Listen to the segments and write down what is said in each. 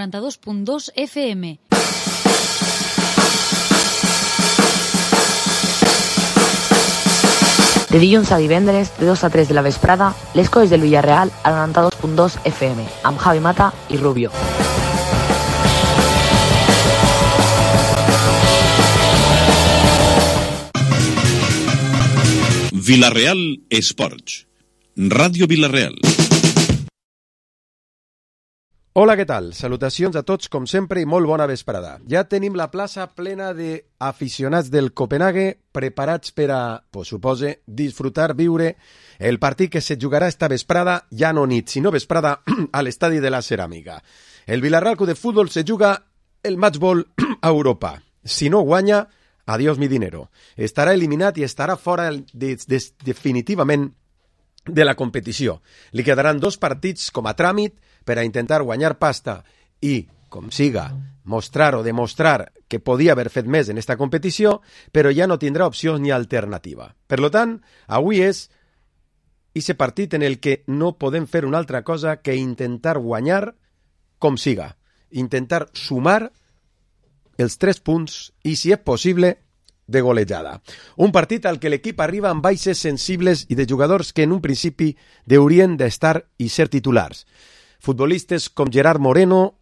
92.2 FM. De dilluns a divendres, de 2 a 3 de la vesprada, les coses del Villarreal a 92.2 FM, amb Javi Mata i Rubio. Villarreal Esports. Ràdio Villarreal. Hola, què tal? Salutacions a tots, com sempre, i molt bona vesprada. Ja tenim la plaça plena d'aficionats del Copenhague preparats per a, supose, disfrutar, viure el partit que se jugarà esta vesprada, ja no nit, sinó vesprada, a l'estadi de la Ceràmica. El Villarreal Club de Futbol se juga el matchball a Europa. Si no guanya, adiós mi dinero. Estarà eliminat i estarà fora definitivament de la competició. Li quedaran 2 partits com a tràmit per a intentar guanyar pasta i, com siga, mostrar o demostrar que podia haver fet més en esta competició, però ja no tindrà opcions ni alternativa. Per tant, avui és ese partit en el que no podem fer una altra cosa que intentar guanyar com siga, intentar sumar els 3 punts i, si és possible, de golejada. Un partit al que l'equip arriba amb baixes sensibles i de jugadors que en un principi haurien d'estar i ser titulars. Futbolistes com Gerard Moreno,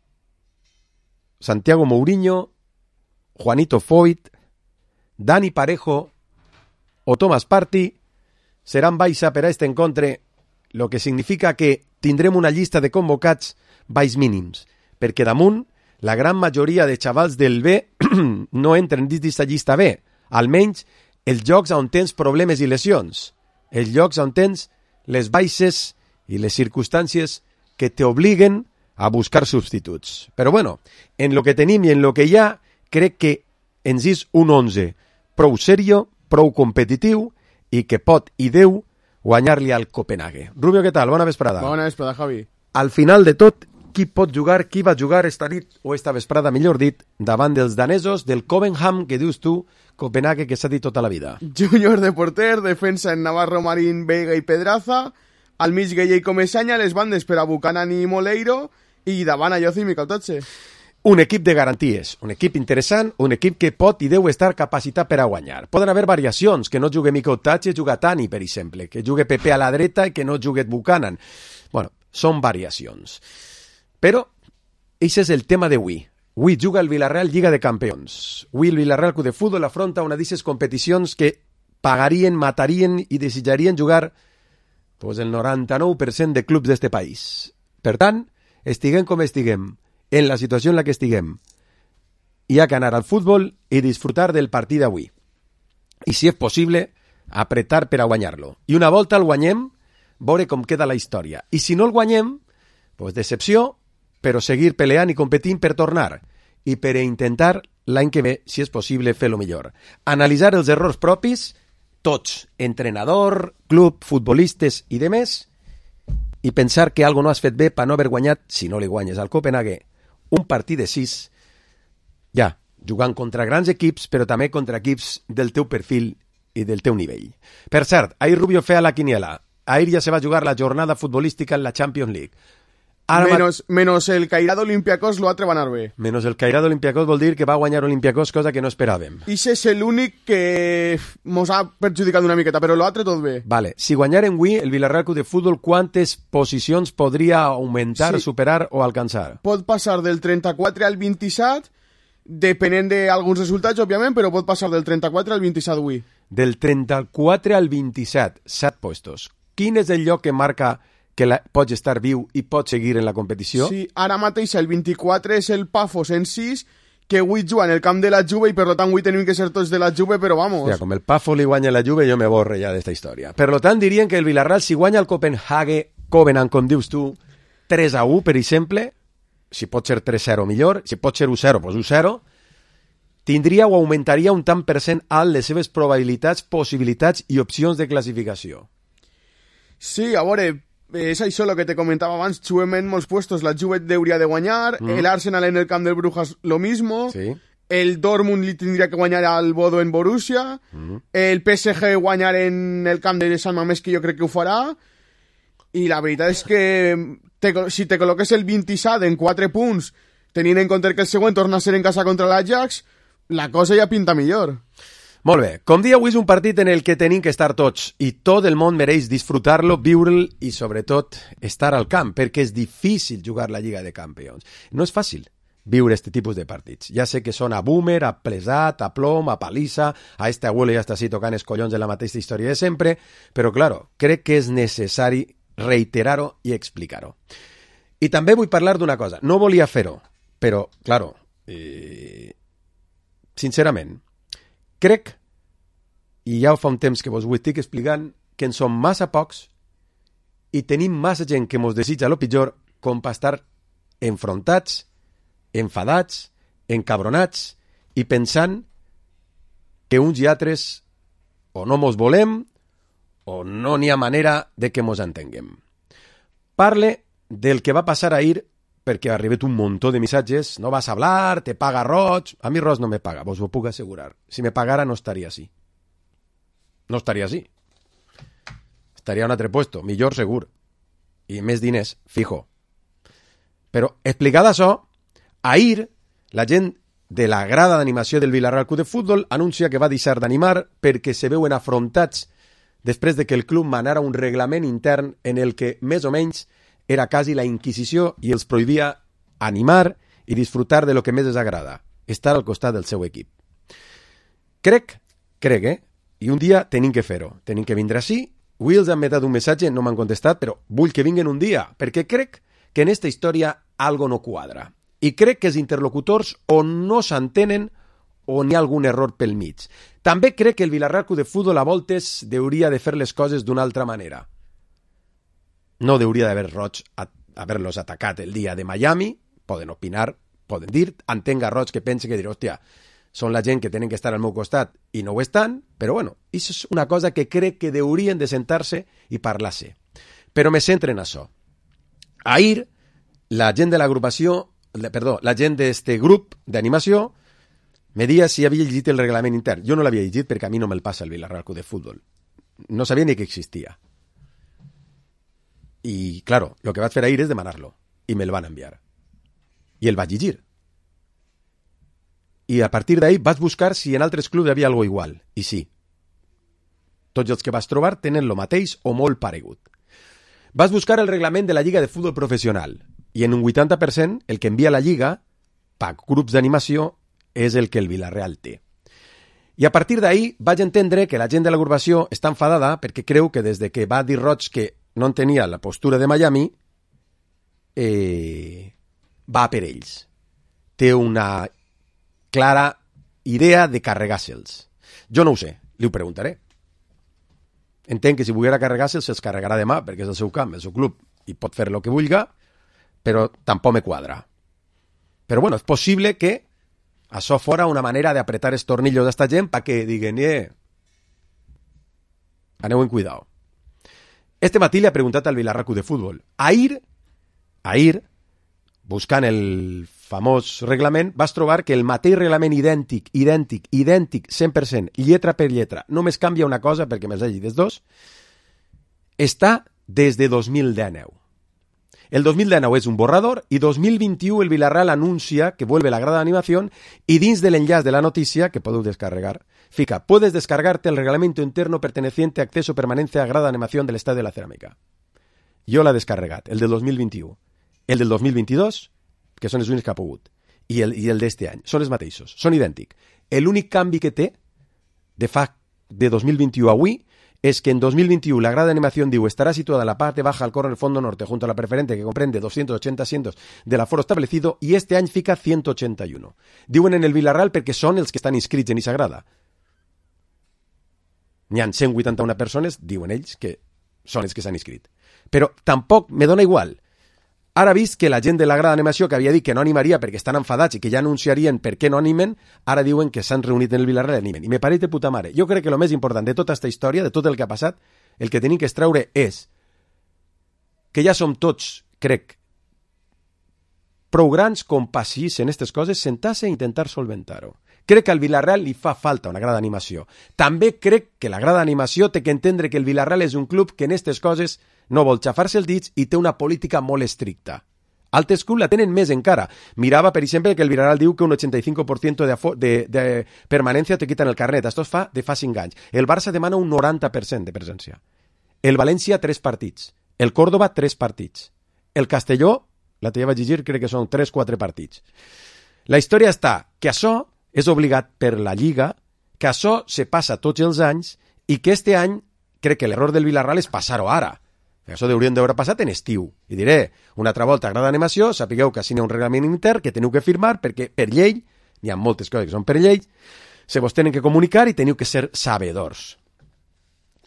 Santiago Mourinho, Juanito Foyt, Dani Parejo o Thomas Partey seran baixa per a este encontre, lo que significa que tindrem una llista de convocats baix mínims, perquè damunt la gran majoria de xavals del B no entren dins d'aquesta llista B, almenys els llocs on tens problemes i lesions, els llocs on tens les baixes i les circumstàncies que te obliguen a buscar substituts. Però bueno, en lo que tenim i en lo que hi ha, crec que ens és un 11 prou serio, prou competitiu i que pot i deu guanyar-li al Copenhague. Rubio, què tal? Bona vesprada. Bona vesprada, Javi. Al final de tot, qui pot jugar, qui va jugar esta nit, o esta vesprada, millor dit, davant dels danesos del Copenhagen, que dius tu, Copenhague, que s'ha dit tota la vida. Júnior de porter, defensa en Navarro, Marín, Vega i Pedraza, al mig Gueye i Comesaña, les bandes per a Buchanan i Moleiro, i davant Ayoce i Miquel Totxe. Un equip de garanties, un equip interessant, un equip que pot i deu estar capacitat per a guanyar. Poden haver variacions, que no jugui Miquel Totxe, juga Tani, per exemple, que jugui Pepe a la dreta i que no jugui Buchanan. Bueno, són variacions. Però, això és el tema d'avui. Avui juga el Villarreal Lliga de Campions. Avui el Villarreal Club de Futbol afronta una d'aquestes competicions que pagarien, matarien i desitjarien jugar pues, el 99% de clubs d'este país. Per tant, estiguem com estiguem, en la situació en la que estiguem, hi ha que anar al futbol i disfrutar del partit d'avui. I, si és possible, apretar per a guanyar-lo. I una volta el guanyem, veure com queda la història. I si no el guanyem, pues decepció, però seguir peleant i competint per tornar i per intentar l'any que ve, si és possible, fer-lo millor. Analitzar els errors propis, tots, entrenador, club, futbolistes i demés, i pensar que algo no has fet bé per no haver guanyat, si no li guanyes al Copenhague, un partit de 6, ja, jugant contra grans equips, però també contra equips del teu perfil i del teu nivell. Per cert, ahir Rubio feia la quiniela. Ahir ja se va jugar la jornada futbolística en la Champions League. Menos el Cairado Olympiacos l'altre va anar bé. Menos el Cairado Olympiacos vol dir que va guanyar Olympiacos, cosa que no esperàvem. I és l'únic que mos ha perjudicat una miqueta, però l'altre tot bé. Vale, si guanyarem avui el Villarreal Club de Futbol, quantes posicions podria augmentar, sí, superar o alcançar? Pot passar del 34 al 27, depenent d'alguns resultats, òbviament, però pot passar del 34 al 27 avui. Del 34 al 27, 7 puestos. Quin és el lloc que marca que pots estar viu i pots seguir en la competició? Sí, ara mateix el 24 és el Pafos en 6, que avui juga en el camp de la Juve i per tant avui tenim que ser tots de la Juve, però vamos. Ja, com el Pafos li guanya la Juve, jo me borre ja d'esta història. Per tant, dirien que el Villarreal, si guanya el Copenhague, com dius tu, 3-1, per exemple, si pot ser 3-0 millor, si pot ser 1-0, doncs 1-0, tindria o augmentaria un tant per cent alt les seves probabilitats, possibilitats i opcions de classificació. Sí, a veure, és això el que te comentava abans, juguem en molts puestos, la Juve hauria de guanyar, el Arsenal en el camp del Brujas lo mismo, sí. El Dortmund li tindria que guanyar al Bodo en Borussia, el PSG guanyar en el camp de Sant Mamés, que jo crec que ho farà, i la veritat és que si te col·loques el 27 en 4 punts tenint en compte que el següent torna a ser en casa contra l'Ajax, la cosa ja pinta millor. Molt bé, com dia avui és un partit en el que tenim que estar tots i tot el món mereix disfrutar-lo, viure'l i sobretot estar al camp, perquè és difícil jugar la Lliga de Campions. No és fàcil viure este tipus de partits. Ja sé que són a boomer, a plesat, a plom, a palissa, a este abuelo ja està així tocant els collons de la mateixa història de sempre, però claro, crec que és necessari reiterar-ho i explicar-ho. I també vull parlar d'una cosa. No volia fer-ho, però, claro, sincerament, crec, i ja fa un temps que vos ho estic explicant, que en som massa pocs i tenim massa gent que mos desitja lo pitjor com per estar enfrontats, enfadats, encabronats i pensant que uns i altres o no mos volem o no n'hi ha manera de que mos entenguem. Parle del que va passar ahir perquè ha arribat un muntó de missatges. No vas a hablar, te paga Roig. A mi Roig no me paga, vos ho puc assegurar. Si me pagara no estaria així. No estaria així. Estaria a un altre puesto, millor segur. I més diners, fijo. Però, explicada això, ahir la gent de la grada d'animació del Villarreal Club de Futbol anuncia que va deixar d'animar perquè se veuen afrontats després de que el club manara un reglament intern en el que, més o menys, era quasi la Inquisició i els prohibia animar i disfrutar de lo que més els agrada, estar al costat del seu equip. Crec, i un dia tenim que fer-ho, tenim que vindre així. Avui els han metat un missatge, no m'han contestat, però vull que vinguen un dia, perquè crec que en esta història algo no quadra. I crec que els interlocutors o no s'entenen o n'hi ha algun error pel mig. També crec que el Villarreal Club de Futbol a voltes hauria de fer les coses d'una altra manera. No hauria d'haver Roig haver-los atacat el dia de Miami, poden opinar, poden dir, entenc a Roig que pense que dir, hòstia, són la gent que tenen que estar al meu costat i no ho estan, però bueno, això és una cosa que crec que haurien de sentar-se i parlar-se. Però me centre en això. Ahir, la gent de l'agrupació, la gent d'este grup d'animació me dia si havia llegit el reglament intern. Jo no l'havia llegit perquè a mi no me'l passa el Villarreal Club de Futbol. No sabia ni que existia. I, claro, lo que vaig fer ahir és demanar-lo. I me'l van enviar. I el vaig llegir. I a partir d'ahir vaig buscar si en altres clubs hi havia alguna igual. I sí. Tots els que vas trobar tenen lo mateix o molt paregut. Vas buscar el reglament de la Lliga de Futbol Professional. I en un 80% el que envia la Lliga, per grups d'animació, és el que el Villarreal té. I a partir d'ahir vaig entendre que la gent de l'agrupació està enfadada perquè creu que des de que va dir Roig que no entenia la postura de Miami, va per ells. Té una clara idea de carregar-se'ls. Jo no ho sé, li ho preguntaré. Entenc que si volguera carregar-se'ls, se'ls carregarà demà, perquè és el seu camp, el seu club, i pot fer el que vulga, però tampoc me quadra. Però bueno, és possible que això fora una manera d'apretar els tornillos d'esta gent perquè diguen, aneu en cuidao. Este matí li ha preguntat al Villarreal Club de Futbol. Ahir, buscant el famós reglament, vas trobar que el mateix reglament idèntic, 100%, lletra per lletra, només canvia una cosa perquè me'ls hagi dels dos, està des de 2019. El 2019 és un borrador i 2021 el Villarreal anuncia que vuelve la grada de animación y dins de l'enllaç de la notícia, que podeu descarregar, fica, puedes descargarte el reglamento interno perteneciente a acceso permanente a grada de animación del Estadio de la Cerámica. Jo l'he descarregat, el del 2021. El del 2022, que són els únics que ha pogut, i el d'este any, són els mateixos, són idèntics. L'únic canvi que té de 2021 a avui es que en 2021 la grada de animación estará situada en la parte baja al corner del fondo norte junto a la preferente que comprende 280 asientos del aforo establecido y este any fica 181. Diuen en el Villarreal perquè són els que estan inscrits en aquesta grada. N'hi ha 181 persones, diuen ells, que són els que s'han inscrit. Però tampoc me dona igual. Ara vist que la gent de la grada d'animació que havia dit que no animaria perquè estan enfadats i que ja anunciarien per què no animen, ara diuen que s'han reunit en el Villarreal i animen. I me pareix de puta mare. Jo crec que el més important de tota aquesta història, de tot el que ha passat, el que tenim que extreure és que ja som tots, crec, prou grans com passís en aquestes coses, sentar-se i intentar solventar-ho. Crec que al Villarreal li fa falta una grada d'animació. També crec que la grada d'animació té que entendre que el Villarreal és un club que en aquestes coses no vol xafar-se els dits i té una política molt estricta. Altres clubs la tenen més encara. Mirava, per exemple, que el Villarreal diu que un 85% de permanència te quiten el carnet. Això es fa de fa 5 anys. El Barça demana un 90% de presència. El València, 3 partits. El Córdoba, 3 partits. El Castelló, la que ja vaig llegir, crec que són 3-4 partits. La història està que això és obligat per la Lliga, que això se passa tots els anys i que este any crec que l'error del Villarreal és passar-ho ara. Això haurien d'haver passat en estiu. I diré, una altra volta, grada d'animació, sapigueu que així n'hi ha un reglament intern que teniu que firmar perquè per llei, n'hi ha moltes coses que són per llei, se vos tenen que comunicar i teniu que ser sabedors.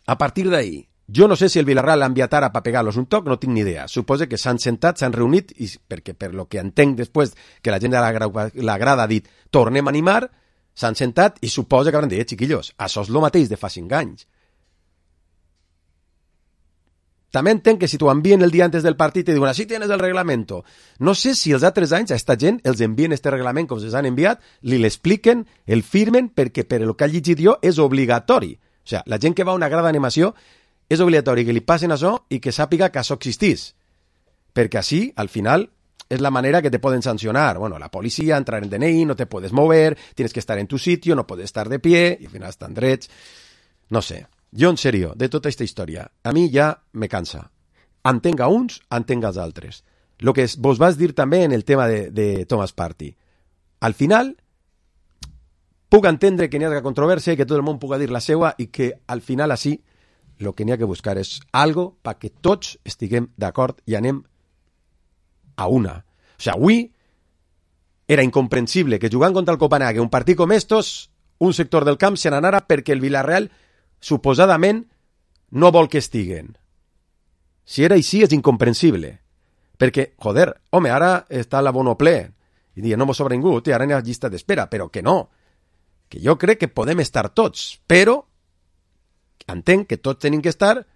A partir d'ahí, jo no sé si el Villarreal l'ha enviat ara per pegar-los un toc, no tinc ni idea. Suposo que s'han sentat, s'han reunit, i perquè per lo que entenc després que la gent de la grada ha dit tornem a animar, s'han sentat i suposo que hauran dit, xiquillos, això és el mateix de fa 5 anys. També entenc que si t'ho envien el dia antes del partit i diuen, així tienes el reglamento. No sé si els altres anys a esta gent els envien este reglament com se'ls han enviat, li l'expliquen, el firmen, perquè per el que ha llegit jo és obligatori. O sigui, la gent que va a una grada d'animació és obligatori que li passen això i que sàpiga que això existís. Perquè així, al final, és la manera que te poden sancionar. Bueno, la policía, entrar en DNI, no te puedes mover, tienes que estar en tu sitio, no puedes estar de pie, i al final estan drets. No sé. Jo, en sèrio, de tota aquesta història, a mi ja me cansa. Entenc a uns, entenc als altres. Lo que vos vas dir també en el tema de Thomas Partey. Al final, puc entendre que n'hi ha controvèrsia i que tot el món puga dir la seua i que al final així el que n'hi ha que buscar és algo perquè tots estiguem d'acord i anem a una. O sigui, avui era incomprensible que jugant contra el Copenhague un partit com estos, un sector del camp se n'anara perquè el Villarreal suposadament no vol que estiguen. Si era així és incomprensible. Perquè, joder, home, ara està l'abono ple. I diuen, no m'ho sobra ningú, ara n'hi ha llista d'espera, però que no. Que jo crec que podem estar tots, però entenc que tots tenim que estar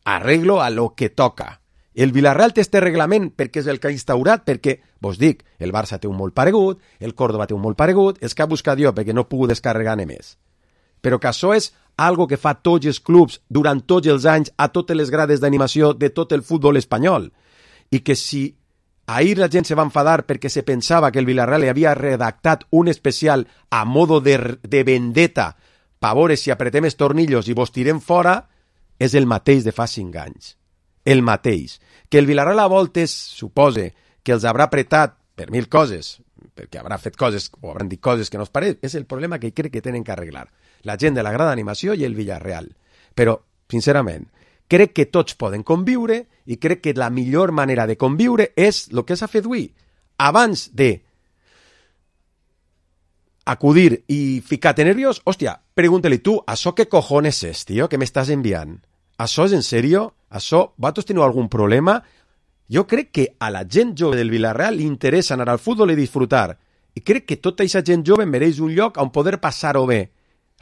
arreglo a lo que toca. El Villarreal té este reglament perquè és el que ha instaurat, perquè, vos dic, el Barça té un molt paregut, el Córdoba té un molt paregut, els que ha buscat jo perquè no puc descarregar-ne més. Però que això és algo que fa tots els clubs durant tots els anys a totes les grades d'animació de tot el futbol espanyol. I que si ahir la gent se va enfadar perquè se pensava que el Villarreal havia redactat un especial a modo de vendetta pa veure si apretem els tornillos i vos tirem fora, és el mateix de fa 5 anys. El mateix. Que el Villarreal a voltes supose que els haurà apretat per 1000 coses, perquè haurà fet coses o hauran dit coses que no es pareix, és el problema que crec que tenen que arreglar. La gent de la grada d'animació i el Villarreal. Però, sincerament, crec que tots poden conviure i crec que la millor manera de conviure és el que s'ha fet avui. Abans de acudir i ficar-te nerviós, hòstia, pregunta-li tu, això què cojones és, tio, que m'estàs enviant? Això és en sèrio? Això, vosaltres teniu algun problema? Jo crec que a la gent jove del Villarreal li interessa anar al futbol i disfrutar. I crec que tota aquesta gent jove mereix un lloc on poder passar-ho bé,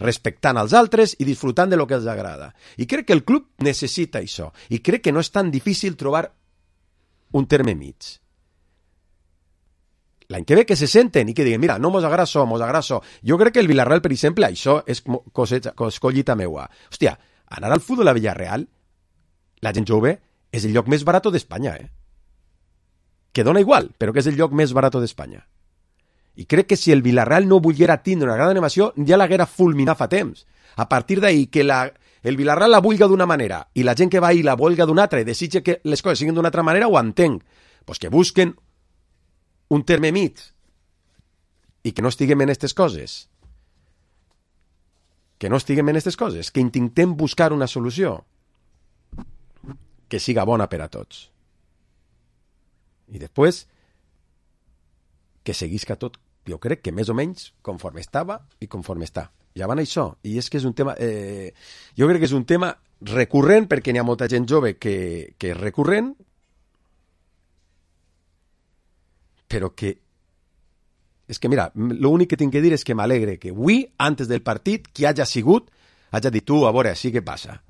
respectant els altres i disfrutant de lo que els agrada. I crec que el club necessita això. I crec que no és tan difícil trobar un terme mig. L'any que ve que se senten i que diguen, mira, no mos agrada això, mos agrada això. Jo crec que el Villarreal, per exemple, això és collita meua. Hòstia, anar al futbol a Villarreal, la gent jove, és el lloc més barat d'Espanya, Que dona igual, però que és el lloc més barat d'Espanya. I crec que si el Villarreal no volguera tindre una gran animació, ja l'haguera fulminat fa temps. A partir d'ahir, que el Villarreal la vulga d'una manera i la gent que va ahir la vulga d'una altra i desitja que les coses siguin d'una altra manera, ho entenc. Pues que busquen un terme mig i que no estiguem en aquestes coses. Que no estiguem en aquestes coses. Que intentem buscar una solució que siga bona per a tots. I després que seguisca tot, jo crec que més o menys conforme estava i conforme està. Ja van això. I és que és un tema... jo crec que és un tema recurrent perquè n'hi ha molta gent jove que és recurrent, però que... És que, mira, l'únic que tinc que dir és que m'alegre que avui, antes del partit, qui hagi sigut, hagi dit tu, a veure, així què passa.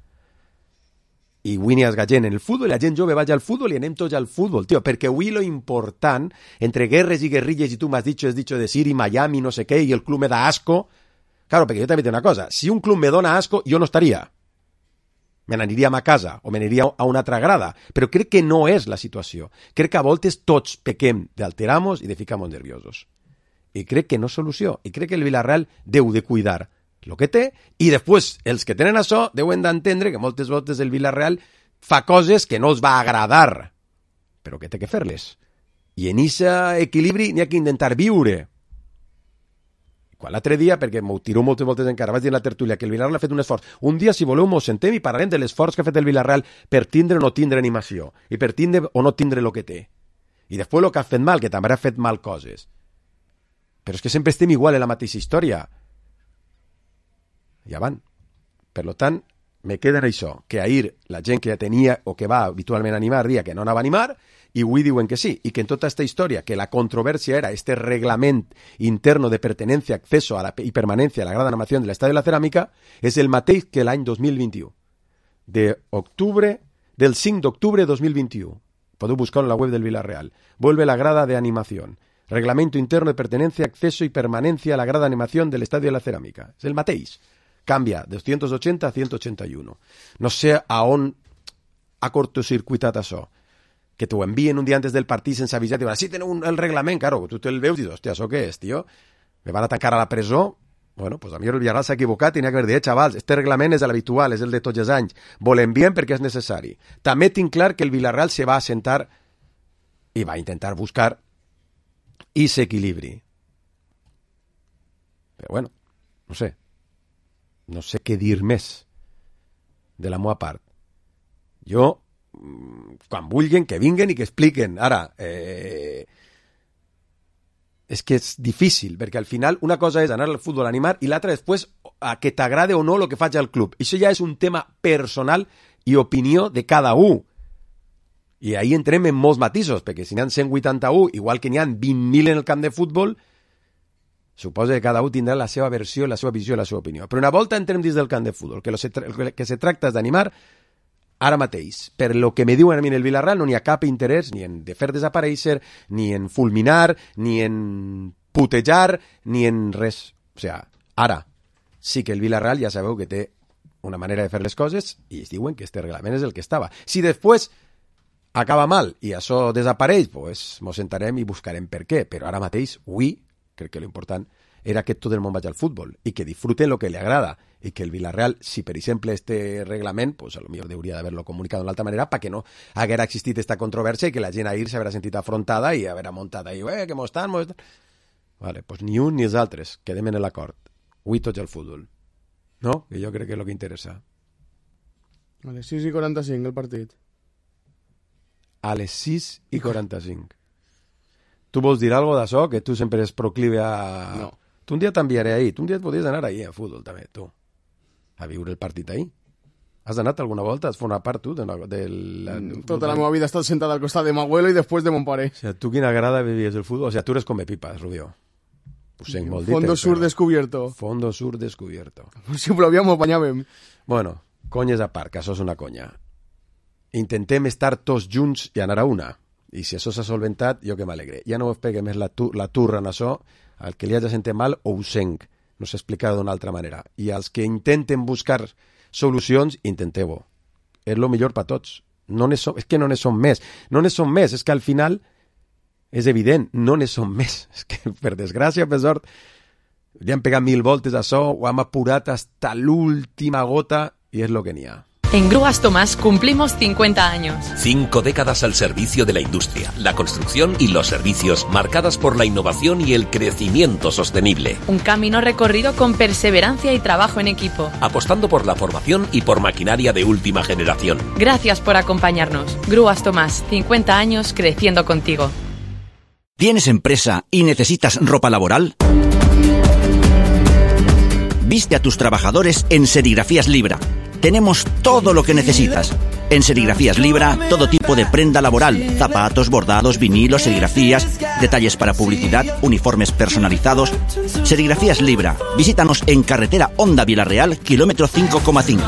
I avui n'hi ha gent en el futbol, i la gent jove vaig al futbol i anem tots al futbol, tio, perquè avui lo important, entre guerres i guerrilles, i tu m'has dicho, has dicho de Siri, Miami, no sé què, i el club me da asco, claro, perquè jo també tinc una cosa, si un club me dona asco, jo no estaria. me n'aniríem a casa o me n'aniria a una altra grada, però crec que no és la situació. Crec que a voltes tots pequem d'alteramos i de ficamos nerviosos. I crec que no és solució. I crec que el Villarreal deu de cuidar el que té i després els que tenen això deuen d'entendre que moltes voltes el Villarreal fa coses que no els va agradar, però que té que fer-les. I en aquest equilibri n'hi ha que intentar viure. Quan l'altre dia, perquè m'ho tiro moltes voltes encara, vaig dir en la tertúlia que el Villarreal ha fet un esforç. Un dia, si voleu, m'ho sentem i parlarem de l'esforç que ha fet el Villarreal per tindre o no tindre animació, i per tindre o no tindre el que té. I després el que ha fet mal, que també ha fet mal coses. Però és que sempre estem igual en la mateixa història. Ja van. Per tant, me queda en això, que ahir la gent que ja tenia o que va habitualment a animar dia que no anava a animar, i avui diuen que sí, i que en tota aquesta història, que la controvèrsia era este reglament interno de pertenencia, acceso a la, y permanencia a la grada animación del Estadio de la Ceràmica, és el mateix que l'any 2021. Del 5 d'octubre de 2021. Podeu buscar en la web del Villarreal. Vuelve la grada de animación. Reglamento interno de pertenencia, acceso y permanencia a la grada de animación del Estadio de la Ceràmica. És el mateix. Canvia de 280 a 181. No sé a on ha cortocircuitat això. Que t'ho envien un dia antes del partit sense avisar i diuen, sí, teniu el reglament, claro, tu te'l veus i dius, hòstia, això què és, tio? Me van a tancar a la presó? Bueno, pues a mi el Villarreal s'ha equivocat i n'hi ha que haver dit, xavals, este reglament és l'habitual, és el de tots els anys, volem bien perquè és necessari. També tinc clar que el Villarreal se va assentar i va intentar buscar i s'equilibri. Però bueno, no sé què dir més de la meva part. Jo quan vulguin, que vinguen i que expliquen. Ara, és que és difícil, perquè al final una cosa és anar al futbol a animar i l'altra després a que t'agrade o no el que faig al club. Això ja és un tema personal i opinió de cada un. I ahí entrem en molts matisos, perquè si n'hi ha 181, igual que n'hi ha 20.000 en el camp de futbol, suposa que cada un tindrà la seva versió, la seva visió i la seva opinió. Però una volta entrem dins del camp de futbol, que el que se tracta és d'animar. Ara mateix, per lo que me diuen a mi en el Villarreal, no n'hi ha cap interès ni en de fer desaparèixer, ni en fulminar, ni en putejar, ni en res. O sigui, ara sí que el Villarreal ja sabeu que té una manera de fer les coses i es diuen que este reglament és el que estava. Si després acaba mal i això desapareix, pues mos sentarem i buscarem per què. Però ara mateix, avui, crec que l'important era que tot el món vagi al futbol i que disfruten el que li agrada i que el Villarreal, si per exemple este reglament, pues a lo millor hauria d'haver-lo comunicat d'una altra manera perquè no haguera existit esta controvèrsia i que la gent ahir s'haurà sentit afrontada i haurà muntat ahí, que mos estan... Vale, pues ni un ni els altres, quedem en l'acord. Avui tots al futbol. No? Que jo crec que és el que interessa. A les 6:45 el partit. A les 6:45. Tu vols dir alguna cosa d'això? Que tu sempre és proclive a... No. Tu un dia t'enviaré ahí. Tu un dia et podries anar ahí a futbol també, tu. A viure el partit ahí. Has anat alguna volta? Has format part tu? Tota la meva vida he estat sentat al costat de m'abuelo i després de mon pare. O sigui, tu quina grada vivies el futbol? O sigui, tu eres come pipas, Rubio. Ho sent molt dit. Fondo sur descubierto. Fondo sur descubierto. Si plovíem ho banyàvem. Bueno, conyes a part, que això és una conya. Intentem estar tots junts i anar a una. I si això s'ha solventat, jo que m'alegre. Ja no us pegue més la turra en això. Al que li hagi sentit mal, ho senc. No s'explicarà d'una altra manera. I als que intenten buscar solucions, intenteu-ho. És el millor per tots. És que no ne som més. No ne som més. És que al final és evident, no ne som més. És que, per desgràcia, per sort, li han pegat 1000 voltes a això, ho hem apurat hasta l'última gota i és el que n'hi ha. En Grúas Tomás cumplimos 50 años. 5 décadas al servicio de la industria, la construcción y los servicios, marcadas por la innovación y el crecimiento sostenible. Un camino recorrido con perseverancia y trabajo en equipo. Apostando por la formación y por maquinaria de última generación. Gracias por acompañarnos. Grúas Tomás, 50 años creciendo contigo. ¿Tienes empresa y necesitas ropa laboral? Viste a tus trabajadores en Serigrafías Libra. Tenemos todo lo que necesitas. En Serigrafías Libra, todo tipo de prenda laboral, zapatos, bordados, vinilos, serigrafías, detalles para publicidad, uniformes personalizados. Serigrafías Libra. Visítanos en carretera Honda Villarreal, kilómetro 5,5.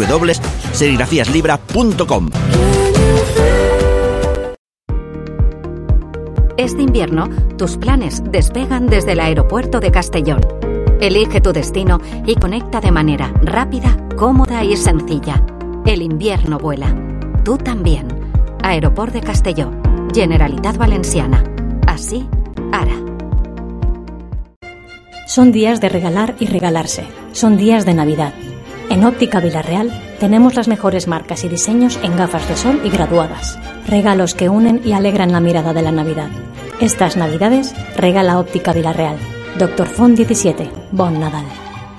www.serigrafiaslibra.com. Este invierno, tus planes despegan desde el aeropuerto de Castellón. Elige tu destino y conecta de manera rápida, cómoda y sencilla. El invierno vuela. Tú también. Aeroport de Castelló. Generalitat Valenciana. Así, ara. Son días de regalar y regalarse. Son días de Navidad. En Óptica Villarreal tenemos las mejores marcas y diseños en gafas de sol y graduadas. Regalos que unen y alegran la mirada de la Navidad. Estas Navidades regala Óptica Villarreal. Dr. Font 17. Bon Nadal.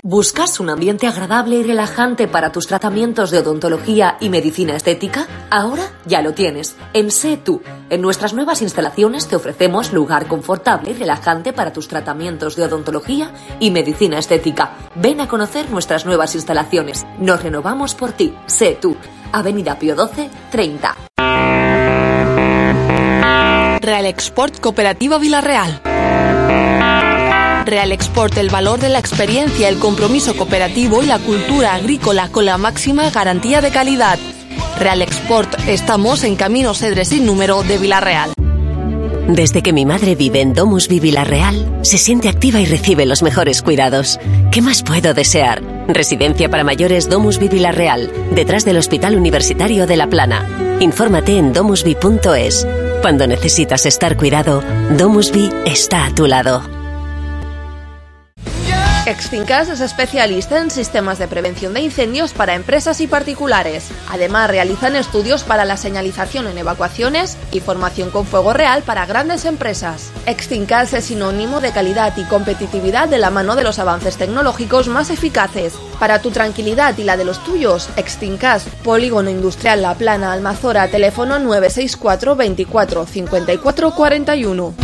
¿Buscas un ambiente agradable y relajante para tus tratamientos de odontología y medicina estética? Ahora ya lo tienes. En Sé Tú. En nuestras nuevas instalaciones te ofrecemos lugar confortable y relajante para tus tratamientos de odontología y medicina estética. Ven a conocer nuestras nuevas instalaciones. Nos renovamos por ti. Sé Tú. Avenida Pío XII, 30. Real Export Cooperativa Villarreal. Real Export, el valor de la experiencia, el compromiso cooperativo y la cultura agrícola con la máxima garantía de calidad. Real Export, estamos en Camino Cedre sin número de Villarreal. Desde que mi madre vive en Domusvi Villarreal, se siente activa y recibe los mejores cuidados. ¿Qué más puedo desear? Residencia para mayores Domusvi Villarreal, detrás del Hospital Universitario de La Plana. Infórmate en domusvi.es. Cuando necesitas estar cuidado, Domusvi está a tu lado. Extincas es especialista en sistemas de prevención de incendios para empresas y particulares. Además, realizan estudios para la señalización en evacuaciones y formación con fuego real para grandes empresas. Extincas es sinónimo de calidad y competitividad de la mano de los avances tecnológicos más eficaces. Para tu tranquilidad y la de los tuyos, Extincas, Polígono Industrial La Plana, Almazora, teléfono 964 24 54 41.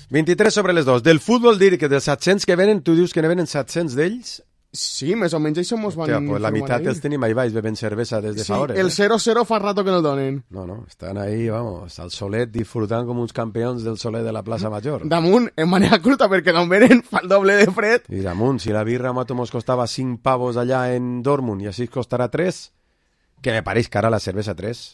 23 sobre les 2. Del futbol dir que dels 700 que venen, tu dius que ne venen 700 d'ells? Sí, més o menys això mos van... Hòstia, pues la meitat els tenim ahí baix bevent cervesa des de fa hores. El 0-0 fa rato que no el donen. No, estan ahí, vamos, al solet disfrutant com uns campions del solet de la plaça Major. Damunt, en manera curta, perquè d'on venen fa el doble de fred. I damunt, si la birra mato mos costava 5 pavos allà en Dortmund i així costarà 3, que me pareix cara la cervesa 3.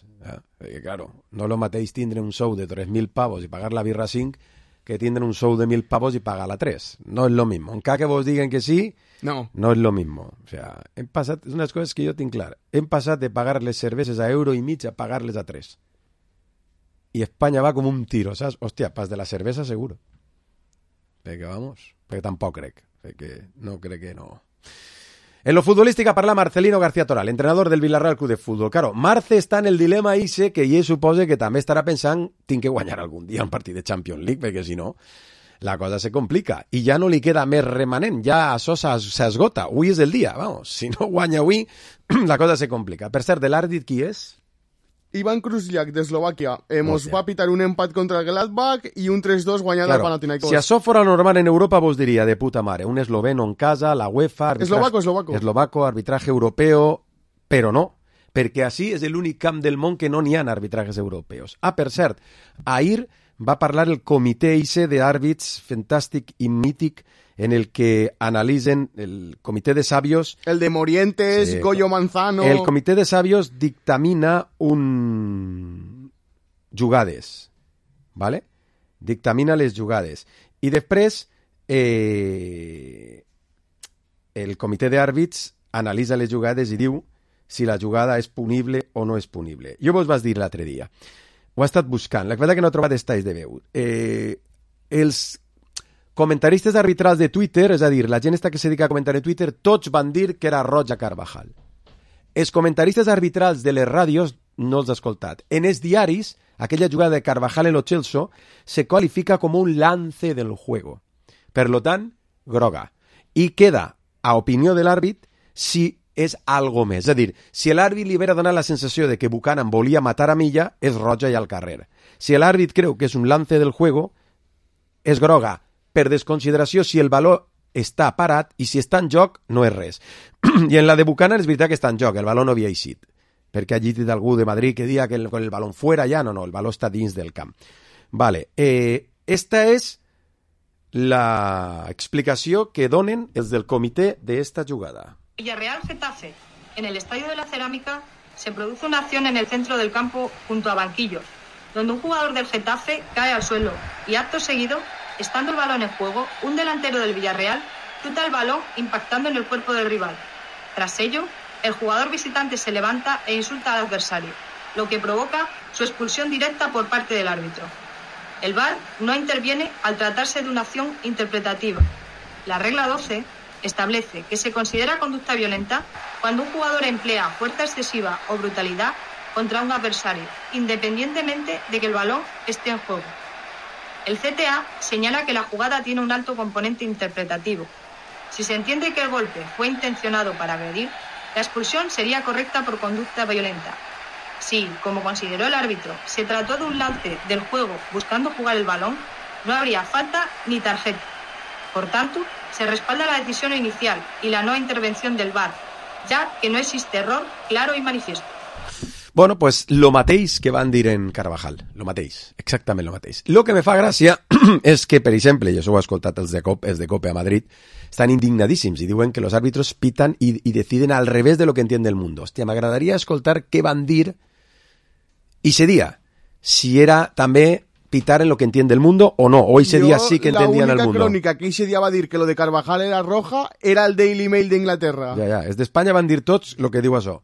Perquè, claro, no lo mateix tindre un sou de 3.000 pavos i pagar la birra 5 que tindre un sou de 1.000 pavos y pagar la 3. No es lo mismo. Encara que vos digan que sí, no es lo mismo. O sea, hem passat, és unes coses que jo tinc clar. Hem passat de pagar les cerveses a €1.50 a pagar-les a 3. Y España va como un tiro, ¿sabes? Hostia, pas de la cervesa seguro. Perquè, vamos, perquè tampoc crec. Perquè no crec que no... En lo futbolística parla Marcelino García Toral, entrenador del Villarreal Club de Fútbol. Claro, Marce està en el dilema ese que ell suposa que també estarà pensant tinc que guanyar algun dia un partit de Champions League, perquè si no la cosa se complica. I ja no li queda més remanent, ja això s'esgota. Avui és el dia, vamos. Si no guanya avui, la cosa se complica. Per cert, de l'àrbit qui és? Ivan Kruzliak, d'Eslovàquia. Mos va pitar un empat contra el Gladbach i un 3-2 guanyat al Panathinaikos. Si això fora normal en Europa, vos diria de puta mare. Un esloveno en casa, la UEFA... Eslovaco, arbitraje europeo... Però no, perquè així és l'únic camp del món que no n'hi ha arbitrajes europeus. Per cert, ahir va parlar el comitè ICE d'àrbits fantàstic i mític en el que analitzen el comitè de sabios... El de Morientes, sí, Goyo Manzano... El comitè de sabios dictamina jugades, ¿vale? Dictamina les jugades. I després el comitè d'àrbits analitza les jugades i diu si la jugada és punible o no és punible. Jo vos vaig dir l'altre dia. Ho he estat buscant. La veritat que no he trobat estais de veu. Els comentaristes arbitrals de Twitter, és a dir, la gent que se dedica a comentar en Twitter, tots van dir que era roja Carvajal. Els comentaristes arbitrals de les ràdios no els he escoltat. En els diaris, aquella jugada de Carvajal en lo Chelsea se qualifica com un lance del juego. Per lo tant, groga. I queda, a opinió de l'àrbit, si és algo més. És a dir, si l'àrbit li vera donar la sensació de que Buchanan volia matar a Milla, és roja i al carrer. Si l'àrbit creu que és un lance del juego, és groga. Per desconsideració, si el valor està parat i si està en joc, no és res. I en la de Buchanan és veritat que està en joc, el valor no havia eixit. Perquè ha dit algú de Madrid que dia que con el balón fuera ja, no, el valor està dins del camp. Vale, esta és la explicació que donen els del comitè d'esta jugada. Villarreal Getafe. En el Estadio de la Cerámica se produce una acción en el centro del campo junto a banquillos, donde un jugador del Getafe cae al suelo y acto seguido, estando el balón en juego, un delantero del Villarreal chuta el balón impactando en el cuerpo del rival. Tras ello, el jugador visitante se levanta e insulta al adversario, lo que provoca su expulsión directa por parte del árbitro. El VAR no interviene al tratarse de una acción interpretativa. La regla 12 establece que se considera conducta violenta cuando un jugador emplea fuerza excesiva o brutalidad contra un adversario, independientemente de que el balón esté en juego. El CTA señala que la jugada tiene un alto componente interpretativo. Si se entiende que el golpe fue intencionado para agredir, la expulsión sería correcta por conducta violenta. Si, como consideró el árbitro, se trató de un lance del juego buscando jugar el balón, no habría falta ni tarjeta. Por tanto, se respalda la decisión inicial y la no intervención del VAR, ya que no existe error claro y manifiesto. Bueno, pues lo mateix que van dir en Carvajal. Lo mateix, exactament lo mateix. Lo que me fa gràcia és que, per exemple, i això ho he escoltat els de COPE a Madrid, estan indignadíssims i diuen que los árbitros pitan y deciden al revés de lo que entiende el mundo. Hòstia, m'agradaria escoltar què van dir i ese dia, si era també pitar en lo que entiende el mundo o no, o ese día sí que entendían el mundo. La única crónica que ese día va a dir que lo de Carvajal era roja era el Daily Mail d'Inglaterra. Ja, és d'Espanya van dir tots lo que diu això.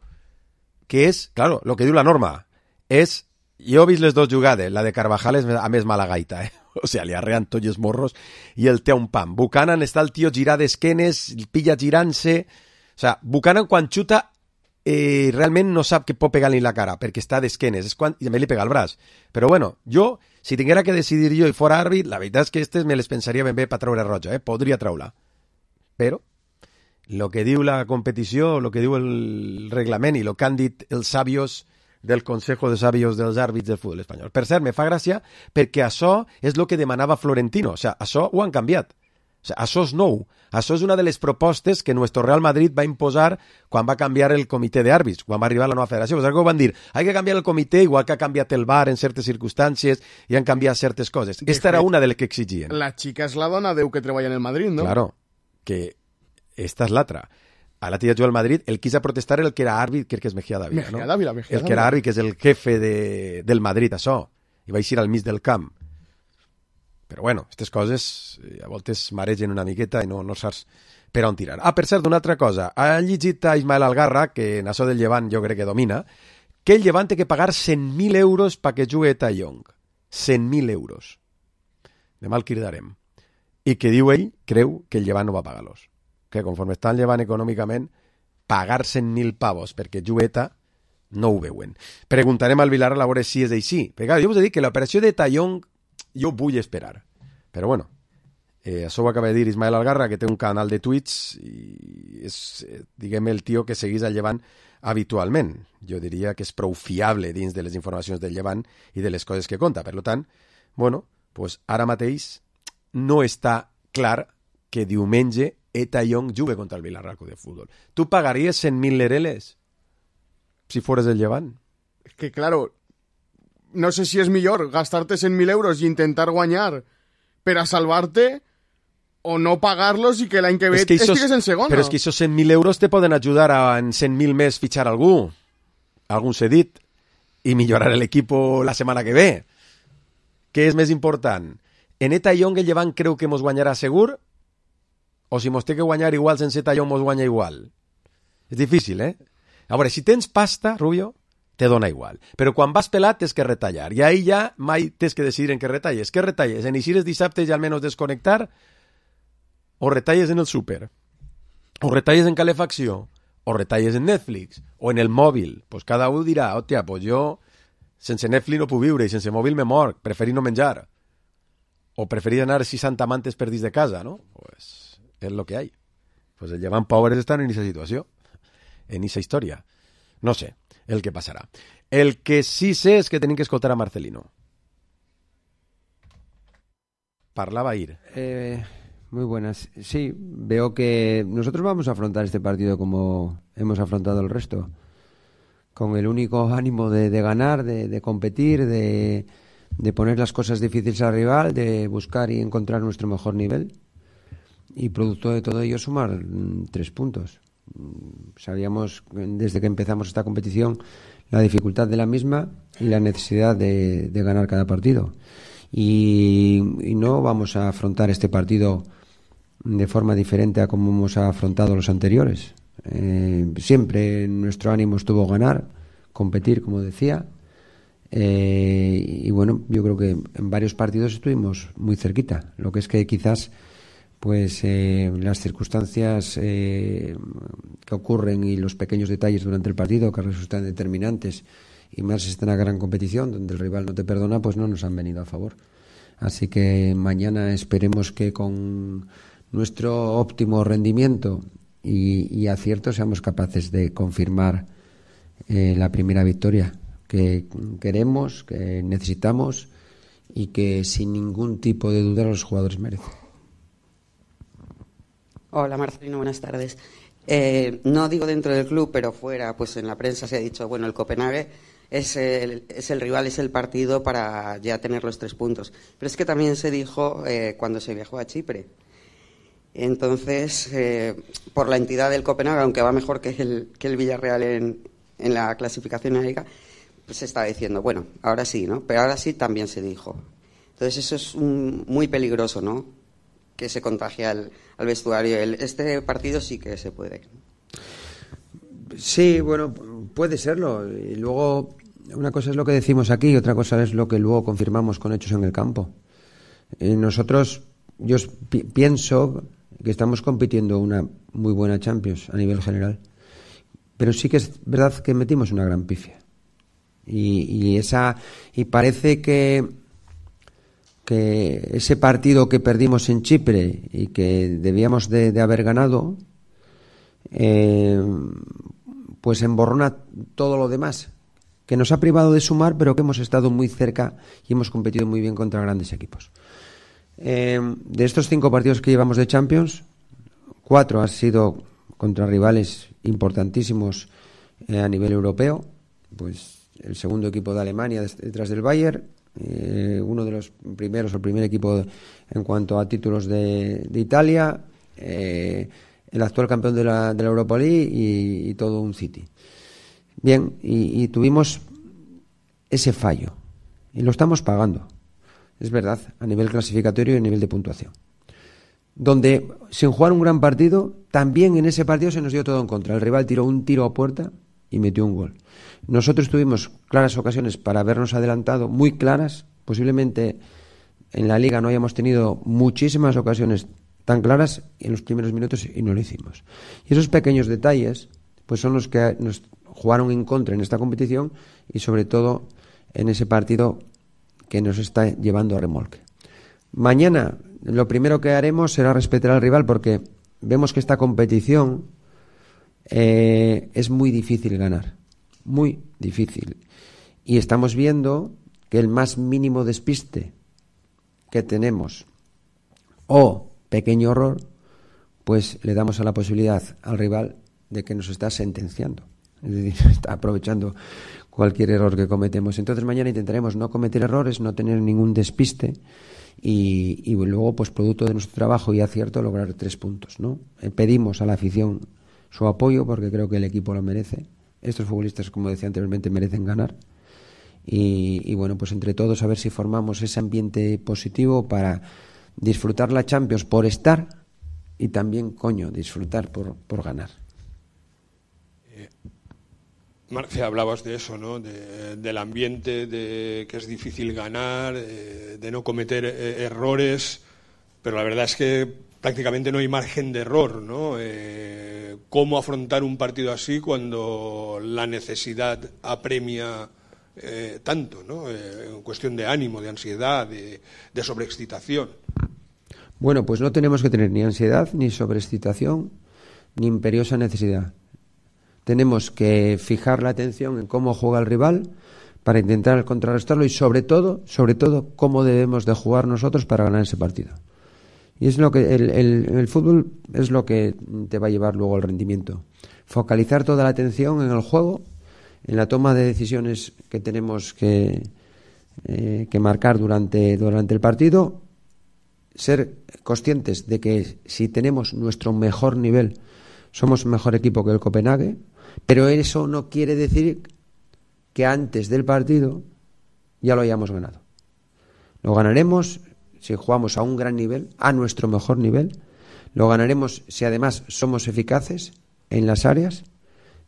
Que és, claro, lo que diu la norma, és, jo he vist les dues jugades, la de Carvajal és a més mala gaita, o sea, li arrean tots els morros i el té un pam. Buchanan està el tio girat d'esquenes, pilla girant-se, o sea, Buchanan quan xuta realment no sap que pot pegar-li la cara, perquè està d'esquenes, és quan, i també li pega el braç. Però bueno, jo, si tinguera que decidir jo i fora àrbit, la veritat és que me les pensaria ben bé per treure roja, podria treure-la. Però lo que diu la competició, lo que diu el reglament i lo que han dit els sabios del Consejo de Sabios dels àrbits del futbol espanyol. Per cert, me fa gràcia perquè això és el que demanava Florentino, o sea, això ho han canviat. O sea, això és nou. Això és una de les propostes que nuestro Real Madrid va imposar quan va canviar el comitè d'àrbits, quan va arribar la nova federació. Pues van dir, hay que canviar el comitè, igual que ha canviat el VAR en certes circumstàncies i han canviat certes coses. Esta era una de les que exigien. La xica és la dona Déu que treballa en el Madrid, no? Claro, que esta és l'altra. A la tía jo al Madrid, el quisa protestar el que era àrbit, crec que és Mejía Dávila, no? El que era àrbit, que és el jefe del Madrid, això. I va eixir al mig del camp. Però bueno, aquestes coses a voltes maregen una miqueta i no saps per on tirar. Ah, per cert, una altra cosa. Ha llegit a Ismael Algarra, que en això del Llevant jo crec que domina, que el Llevant té que pagar 100.000 euros perquè jugui Tai Young. 100.000 euros. Demà el cridarem. I que diu ell, creu que el Llevant no va pagar-los. Que conforme està el Llevant econòmicament, pagar 100.000 pavos perquè jugueta no ho veuen. Preguntarem al Vilar a veure si és així. Perquè jo us he dit que l'operació de Tai Young jo vull esperar. Però bueno, això ho acaba de dir Ismael Algarra, que té un canal de Twitch i és, diguem, el tio que seguís al Llevant habitualment. Jo diria que és prou fiable dins de les informacions del Llevant i de les coses que conta. Per tant, bueno, pues ara mateix no està clar que diumenge Tai Young jugue contra el Villarreal Club de Fútbol. Tu pagaries 100.000 lereles si fueres del Llevant? Es que, claro, no sé si és millor gastarte 100.000 euros i intentar guanyar per a salvar-te o no pagar-los i que l'any que ve estigues en segona. Però és que esos 100.000 euros te poden ajudar a en 100.000 més fitxar algú, algun cedit, i millorar l'equip la setmana que ve. Què és més important? En Tai Young el Llevant creu que mos guanyarà segur o si mos té que guanyar igual sense Tai Young mos guanya igual? És difícil, A veure, si tens pasta, Rubio, te dona igual. Però quan vas pelat tens que retallar. I ahí ja mai tens que decidir en què retalles. Què retalles? En eixires dissabte i almenys desconnectar? O retalles en el súper? O retalles en calefacció? O retalles en Netflix? O en el mòbil? Pues cada un dirà, hòstia, pues jo sense Netflix no puc viure i sense mòbil me mor. Preferir no menjar. O preferir anar 60 mantes per dins de casa, no? Pues és lo que hay. Pues el Llevant pobres estan en aquesta situació. En aquesta història. No sé el que passarà. El que sí sé és que tenim que escoltar a Marcelino. Parlava ahir. Muy buenas. Sí, veo que nosotros vamos a afrontar este partido como hemos afrontado el resto. Con el único ánimo de ganar, de competir, de poner las cosas difíciles al rival, de buscar y encontrar nuestro mejor nivel. Y producto de todo ello sumar 3 puntos. Sabíamos desde que empezamos esta competición la dificultad de la misma y la necesidad de ganar cada partido y no vamos a afrontar este partido de forma diferente a como hemos afrontado los anteriores. Siempre nuestro ánimo estuvo ganar, competir, como decía. Y bueno, yo creo que en varios partidos estuvimos muy cerquita. Lo que es que quizás pues las circunstancias que ocurren y los pequeños detalles durante el partido que resultan determinantes, y más si está en una gran competición donde el rival no te perdona, pues no nos han venido a favor. Así que mañana esperemos que con nuestro óptimo rendimiento y acierto seamos capaces de confirmar la primera victoria que queremos, que necesitamos y que sin ningún tipo de duda los jugadores merecen. Hola Marcelino, buenas tardes. No digo dentro del club, pero fuera, pues en la prensa se ha dicho, bueno, el Copenhague es el rival, es el partido para ya tener los 3 puntos. Pero es que también se dijo cuando se viajó a Chipre. Entonces, por la entidad del Copenhague, aunque va mejor que el Villarreal en la clasificación en la Liga, pues se estaba diciendo, bueno, ahora sí, ¿no? Pero ahora sí también se dijo. Entonces eso es muy peligroso, ¿no? Que se contagia al vestuario. Este partido sí que se puede. Sí, bueno, puede serlo. Y luego, una cosa es lo que decimos aquí y otra cosa es lo que luego confirmamos con hechos en el campo. Nosotros, yo pienso que estamos compitiendo una muy buena Champions a nivel general. Pero sí que es verdad que metimos una gran pifia. Y parece que ese partido que perdimos en Chipre y que debíamos de haber ganado, pues emborrona todo lo demás, que nos ha privado de sumar, pero que hemos estado muy cerca y hemos competido muy bien contra grandes equipos. De estos 5 partidos que llevamos de Champions, 4 han sido contra rivales importantísimos a nivel europeo, pues el segundo equipo de Alemania detrás del Bayern, uno de los primeros, el primer equipo en cuanto a títulos de Italia, el actual campeón de la Europa League y todo un City. Bien, y tuvimos ese fallo y lo estamos pagando, es verdad, a nivel clasificatorio y a nivel de puntuación, donde sin jugar un gran partido, también en ese partido se nos dio todo en contra. El rival tiró un tiro a puerta y metió un gol. Nosotros tuvimos claras ocasiones para habernos adelantado, muy claras. Posiblemente en la Liga no hayamos tenido muchísimas ocasiones tan claras en los primeros minutos y no lo hicimos. Y esos pequeños detalles pues son los que nos jugaron en contra en esta competición y sobre todo en ese partido que nos está llevando a remolque. Mañana lo primero que haremos será respetar al rival porque vemos que esta competición es muy difícil ganar, muy difícil. Y estamos viendo que el más mínimo despiste que tenemos o pequeño error, pues le damos a la posibilidad al rival de que nos está sentenciando. Es decir, está aprovechando cualquier error que cometemos. Entonces mañana intentaremos no cometer errores, no tener ningún despiste y luego, pues producto de nuestro trabajo y acierto, lograr 3 puntos, ¿no? Pedimos a la afición su apoyo porque creo que el equipo lo merece. Estos futbolistas, como decía anteriormente, merecen ganar. Y bueno, pues entre todos a ver si formamos ese ambiente positivo para disfrutar la Champions por estar y también, disfrutar por ganar. Marcia, hablabas de eso, ¿no? Del ambiente, de que es difícil ganar, de no cometer errores, pero la verdad es que prácticamente no hay margen de error, ¿no? ¿Cómo afrontar un partido así cuando la necesidad apremia tanto, ¿no? En cuestión de ánimo, de ansiedad, de sobreexcitación. Bueno, pues no tenemos que tener ni ansiedad, ni sobreexcitación, ni imperiosa necesidad. Tenemos que fijar la atención en cómo juega el rival para intentar contrarrestarlo y sobre todo, cómo debemos de jugar nosotros para ganar ese partido. Y es lo que el fútbol es lo que te va a llevar luego al rendimiento. Focalizar toda la atención en el juego, en la toma de decisiones que tenemos que marcar durante el partido, ser conscientes de que si tenemos nuestro mejor nivel, somos mejor equipo que el Copenhague, pero eso no quiere decir que antes del partido ya lo hayamos ganado. Lo ganaremos si jugamos a un gran nivel, a nuestro mejor nivel. Lo ganaremos si además somos eficaces en las áreas,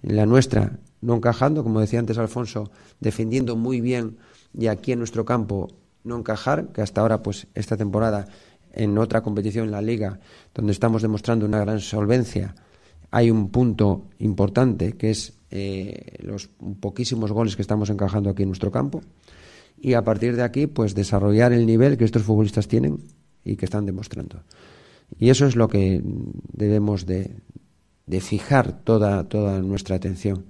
en la nuestra no encajando, como decía antes Alfonso, defendiendo muy bien, y aquí en nuestro campo no encajar, que hasta ahora, pues esta temporada, en otra competición en la Liga, donde estamos demostrando una gran solvencia, hay un punto importante que es los poquísimos goles que estamos encajando aquí en nuestro campo, y a partir de aquí pues desarrollar el nivel que estos futbolistas tienen y que están demostrando, y eso es lo que debemos de fijar toda nuestra atención.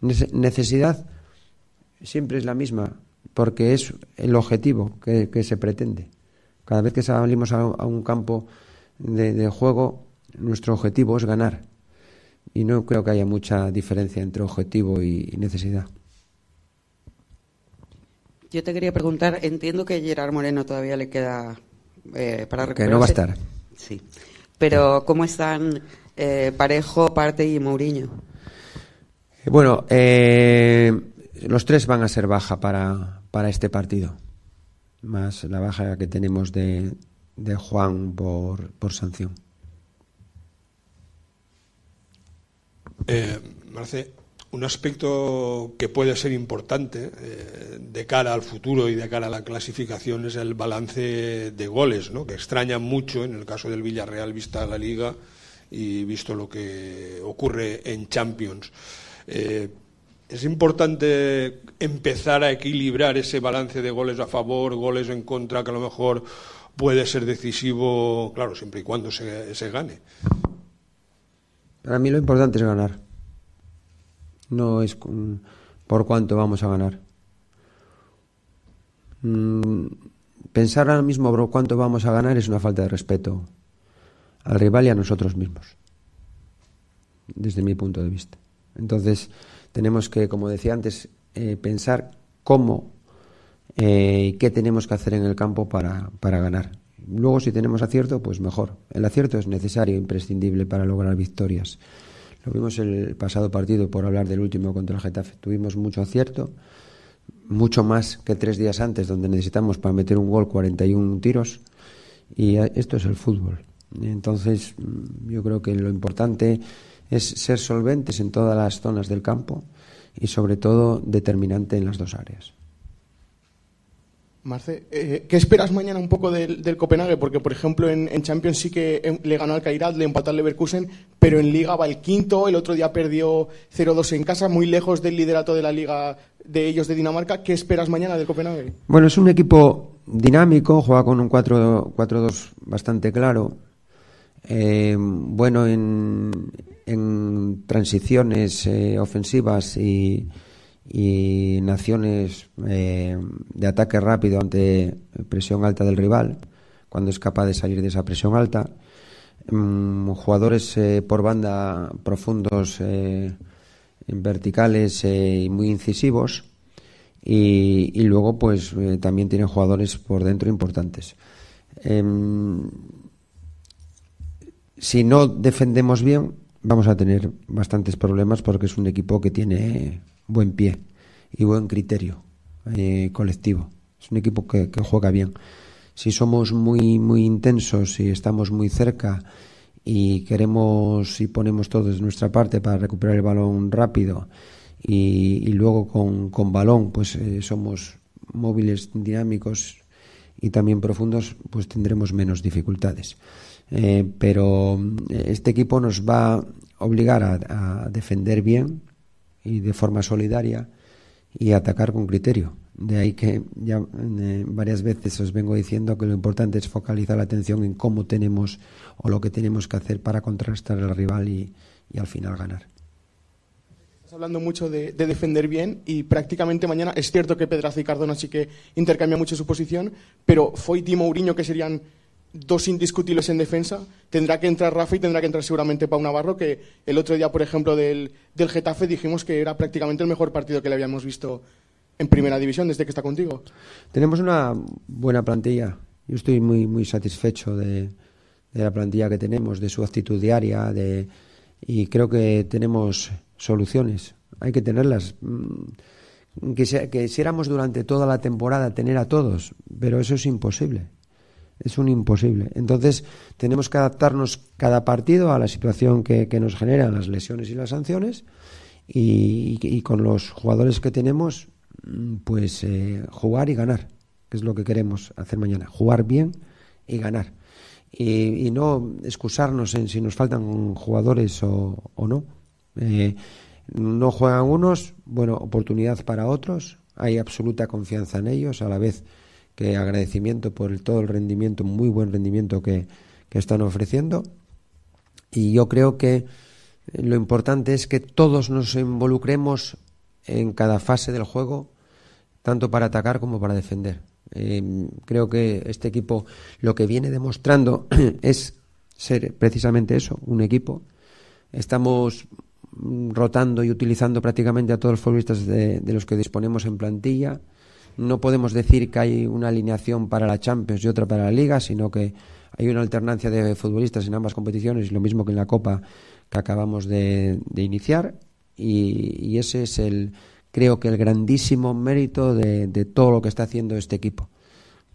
Necesidad siempre es la misma, porque es el objetivo que se pretende. Cada vez que salimos a un campo de juego, nuestro objetivo es ganar. Y no creo que haya mucha diferencia entre objetivo y necesidad. Yo te quería preguntar, entiendo que Gerard Moreno todavía le queda para recuperarse. Que no va a estar. Sí. Pero ¿cómo están Parejo, Partey y Mourinho? Bueno, los tres van a ser baja para este partido, más la baja que tenemos de Juan por sanción. Marce, un aspecto que puede ser importante de cara al futuro y de cara a la clasificación es el balance de goles, ¿no? Que extraña mucho en el caso del Villarreal, vista la Liga y visto lo que ocurre en Champions. Es importante empezar a equilibrar ese balance de goles a favor, goles en contra, que a lo mejor puede ser decisivo, claro, siempre y cuando se gane. Para mí lo importante es ganar. No es por cuánto vamos a ganar. Pensar ahora mismo por cuánto vamos a ganar es una falta de respeto al rival y a nosotros mismos, desde mi punto de vista. Entonces tenemos que, como decía antes, pensar cómo y qué tenemos que hacer en el campo para ganar. Luego, si tenemos acierto, pues mejor. El acierto es necesario, imprescindible para lograr victorias. Lo vimos el pasado partido, por hablar del último contra el Getafe. Tuvimos mucho acierto, mucho más que 3 días antes, donde necesitamos para meter un gol 41 tiros, y esto es el fútbol. Entonces, yo creo que lo importante es ser solventes en todas las zonas del campo y, sobre todo, determinante en las dos áreas. Marce, ¿qué esperas mañana un poco del Copenhague? Porque, por ejemplo, en Champions sí que le ganó al Kairat, le empató al Leverkusen, pero en Liga va el quinto, el otro día perdió 0-2 en casa, muy lejos del liderato de la Liga de ellos de Dinamarca. ¿Qué esperas mañana del Copenhague? Bueno, es un equipo dinámico, juega con un 4-2 bastante claro, bueno en transiciones ofensivas y naciones de ataque rápido ante presión alta del rival, cuando es capaz de salir de esa presión alta. Jugadores por banda profundos, verticales y muy incisivos, y luego pues también tienen jugadores por dentro importantes. Si no defendemos bien, vamos a tener bastantes problemas, porque es un equipo que tiene buen pie y buen criterio colectivo. Es un equipo que juega bien. Si somos muy intensos y estamos muy cerca y queremos y ponemos todo de nuestra parte para recuperar el balón rápido, y luego con balón pues somos móviles, dinámicos y también profundos, pues tendremos menos dificultades. Pero este equipo nos va a obligar a defender bien y de forma solidaria y atacar con criterio. De ahí que ya varias veces os vengo diciendo que lo importante es focalizar la atención en cómo tenemos o lo que tenemos que hacer para contrarrestar al rival y al final ganar. Estás hablando mucho de defender bien, y prácticamente mañana es cierto que Pedraza y Cardona sí que intercambian mucho su posición, pero Foyt y Mourinho, que serían dos indiscutibles en defensa, tendrá que entrar Rafa y tendrá que entrar seguramente Pau Navarro, que el otro día, por ejemplo, del Getafe dijimos que era prácticamente el mejor partido que le habíamos visto en Primera División desde que está contigo. Tenemos una buena plantilla. Yo estoy muy satisfecho de la plantilla que tenemos, de su actitud diaria, y creo que tenemos soluciones. Hay que tenerlas. Quisiéramos durante toda la temporada tener a todos, pero eso es imposible. Es un imposible. Entonces tenemos que adaptarnos cada partido a la situación que nos generan las lesiones y las sanciones y con los jugadores que tenemos pues jugar y ganar, que es lo que queremos hacer mañana, jugar bien y ganar y no excusarnos en si nos faltan jugadores o no. No juegan unos, bueno, oportunidad para otros, hay absoluta confianza en ellos, a la vez que agradecimiento por todo el rendimiento, muy buen rendimiento que están ofreciendo, y yo creo que lo importante es que todos nos involucremos en cada fase del juego, tanto para atacar como para defender. Creo que este equipo lo que viene demostrando es ser precisamente eso, un equipo. Estamos rotando y utilizando prácticamente a todos los futbolistas de los que disponemos en plantilla. No podemos decir que hay una alineación para la Champions y otra para la Liga, sino que hay una alternancia de futbolistas en ambas competiciones, lo mismo que en la Copa que acabamos de iniciar, y ese es creo que el grandísimo mérito de todo lo que está haciendo este equipo,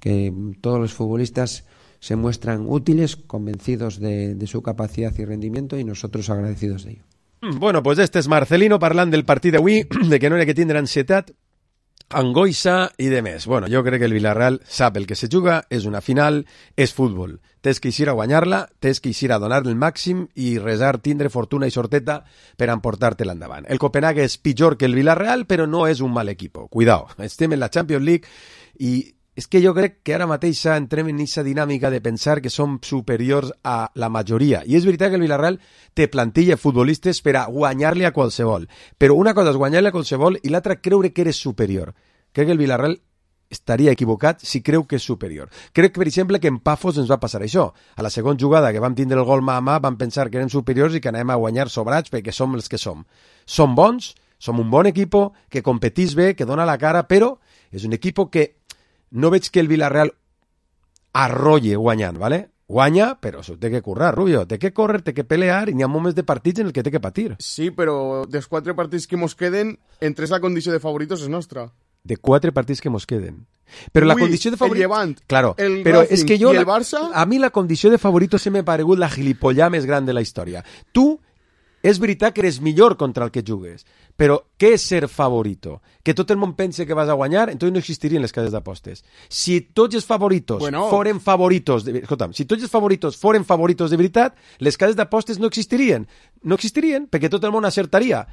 que todos los futbolistas se muestran útiles, convencidos de su capacidad y rendimiento, i nosotros agradecidos de ello. Bueno, pues este és Marcelino parlant del partit d'avui, de que no hi ha que tindre ansietat, angoixa i de més. Bueno, jo crec que el Villarreal sap el que se juga, és una final, és futbol. Tens que eixir a guanyar-la, tens que eixir a donar el màxim i resar, tindre fortuna i sorteta per emportar-te-la endavant. El Copenhague és pitjor que el Villarreal, però no és un mal equipo. Cuidao, estem en la Champions League i és que jo crec que ara mateix entrem en aquesta dinàmica de pensar que som superiors a la majoria. I és veritat que el Villarreal té plantilla de futbolistes per a guanyar-li a qualsevol. Però una cosa és guanyar-li a qualsevol i l'altra creure que eres superior. Crec que el Villarreal estaria equivocat si creu que és superior. Crec, per exemple, que en Pafos ens va passar això. A la segona jugada que vam tindre el gol mà a mà vam pensar que eren superiors i que anem a guanyar sobrats perquè som els que som. Som bons, som un bon equipo, que competís bé, que dona la cara, però és un equipo que no veig que el Villarreal arrolle guanyant, ¿vale? Guanya, però s'ho té que currar, Rubio. Té que córrer, té que pelear, i n'hi ha moments de partits en el que té que patir. Sí, però dels 4 partits que mos queden, en 3 la condició de favoritos és nostra. De 4 partits que mos queden. Però la condició de favoritos... El Llevant, claro, el però Racing és que jo, i el Barça... A mi la condició de favoritos se m'ha paregut la gilipollà més gran de la història. Tu, és veritat que eres millor contra el que jugues, però què és ser favorito? Que tot el món pense que vas a guanyar, entonces no existirien les cases d'apostes. Si tots els favoritos foren favoritos... Escolta'm, si tots els favoritos foren favoritos de veritat, les cases d'apostes no existirien. No existirien, perquè tot el món acertaria.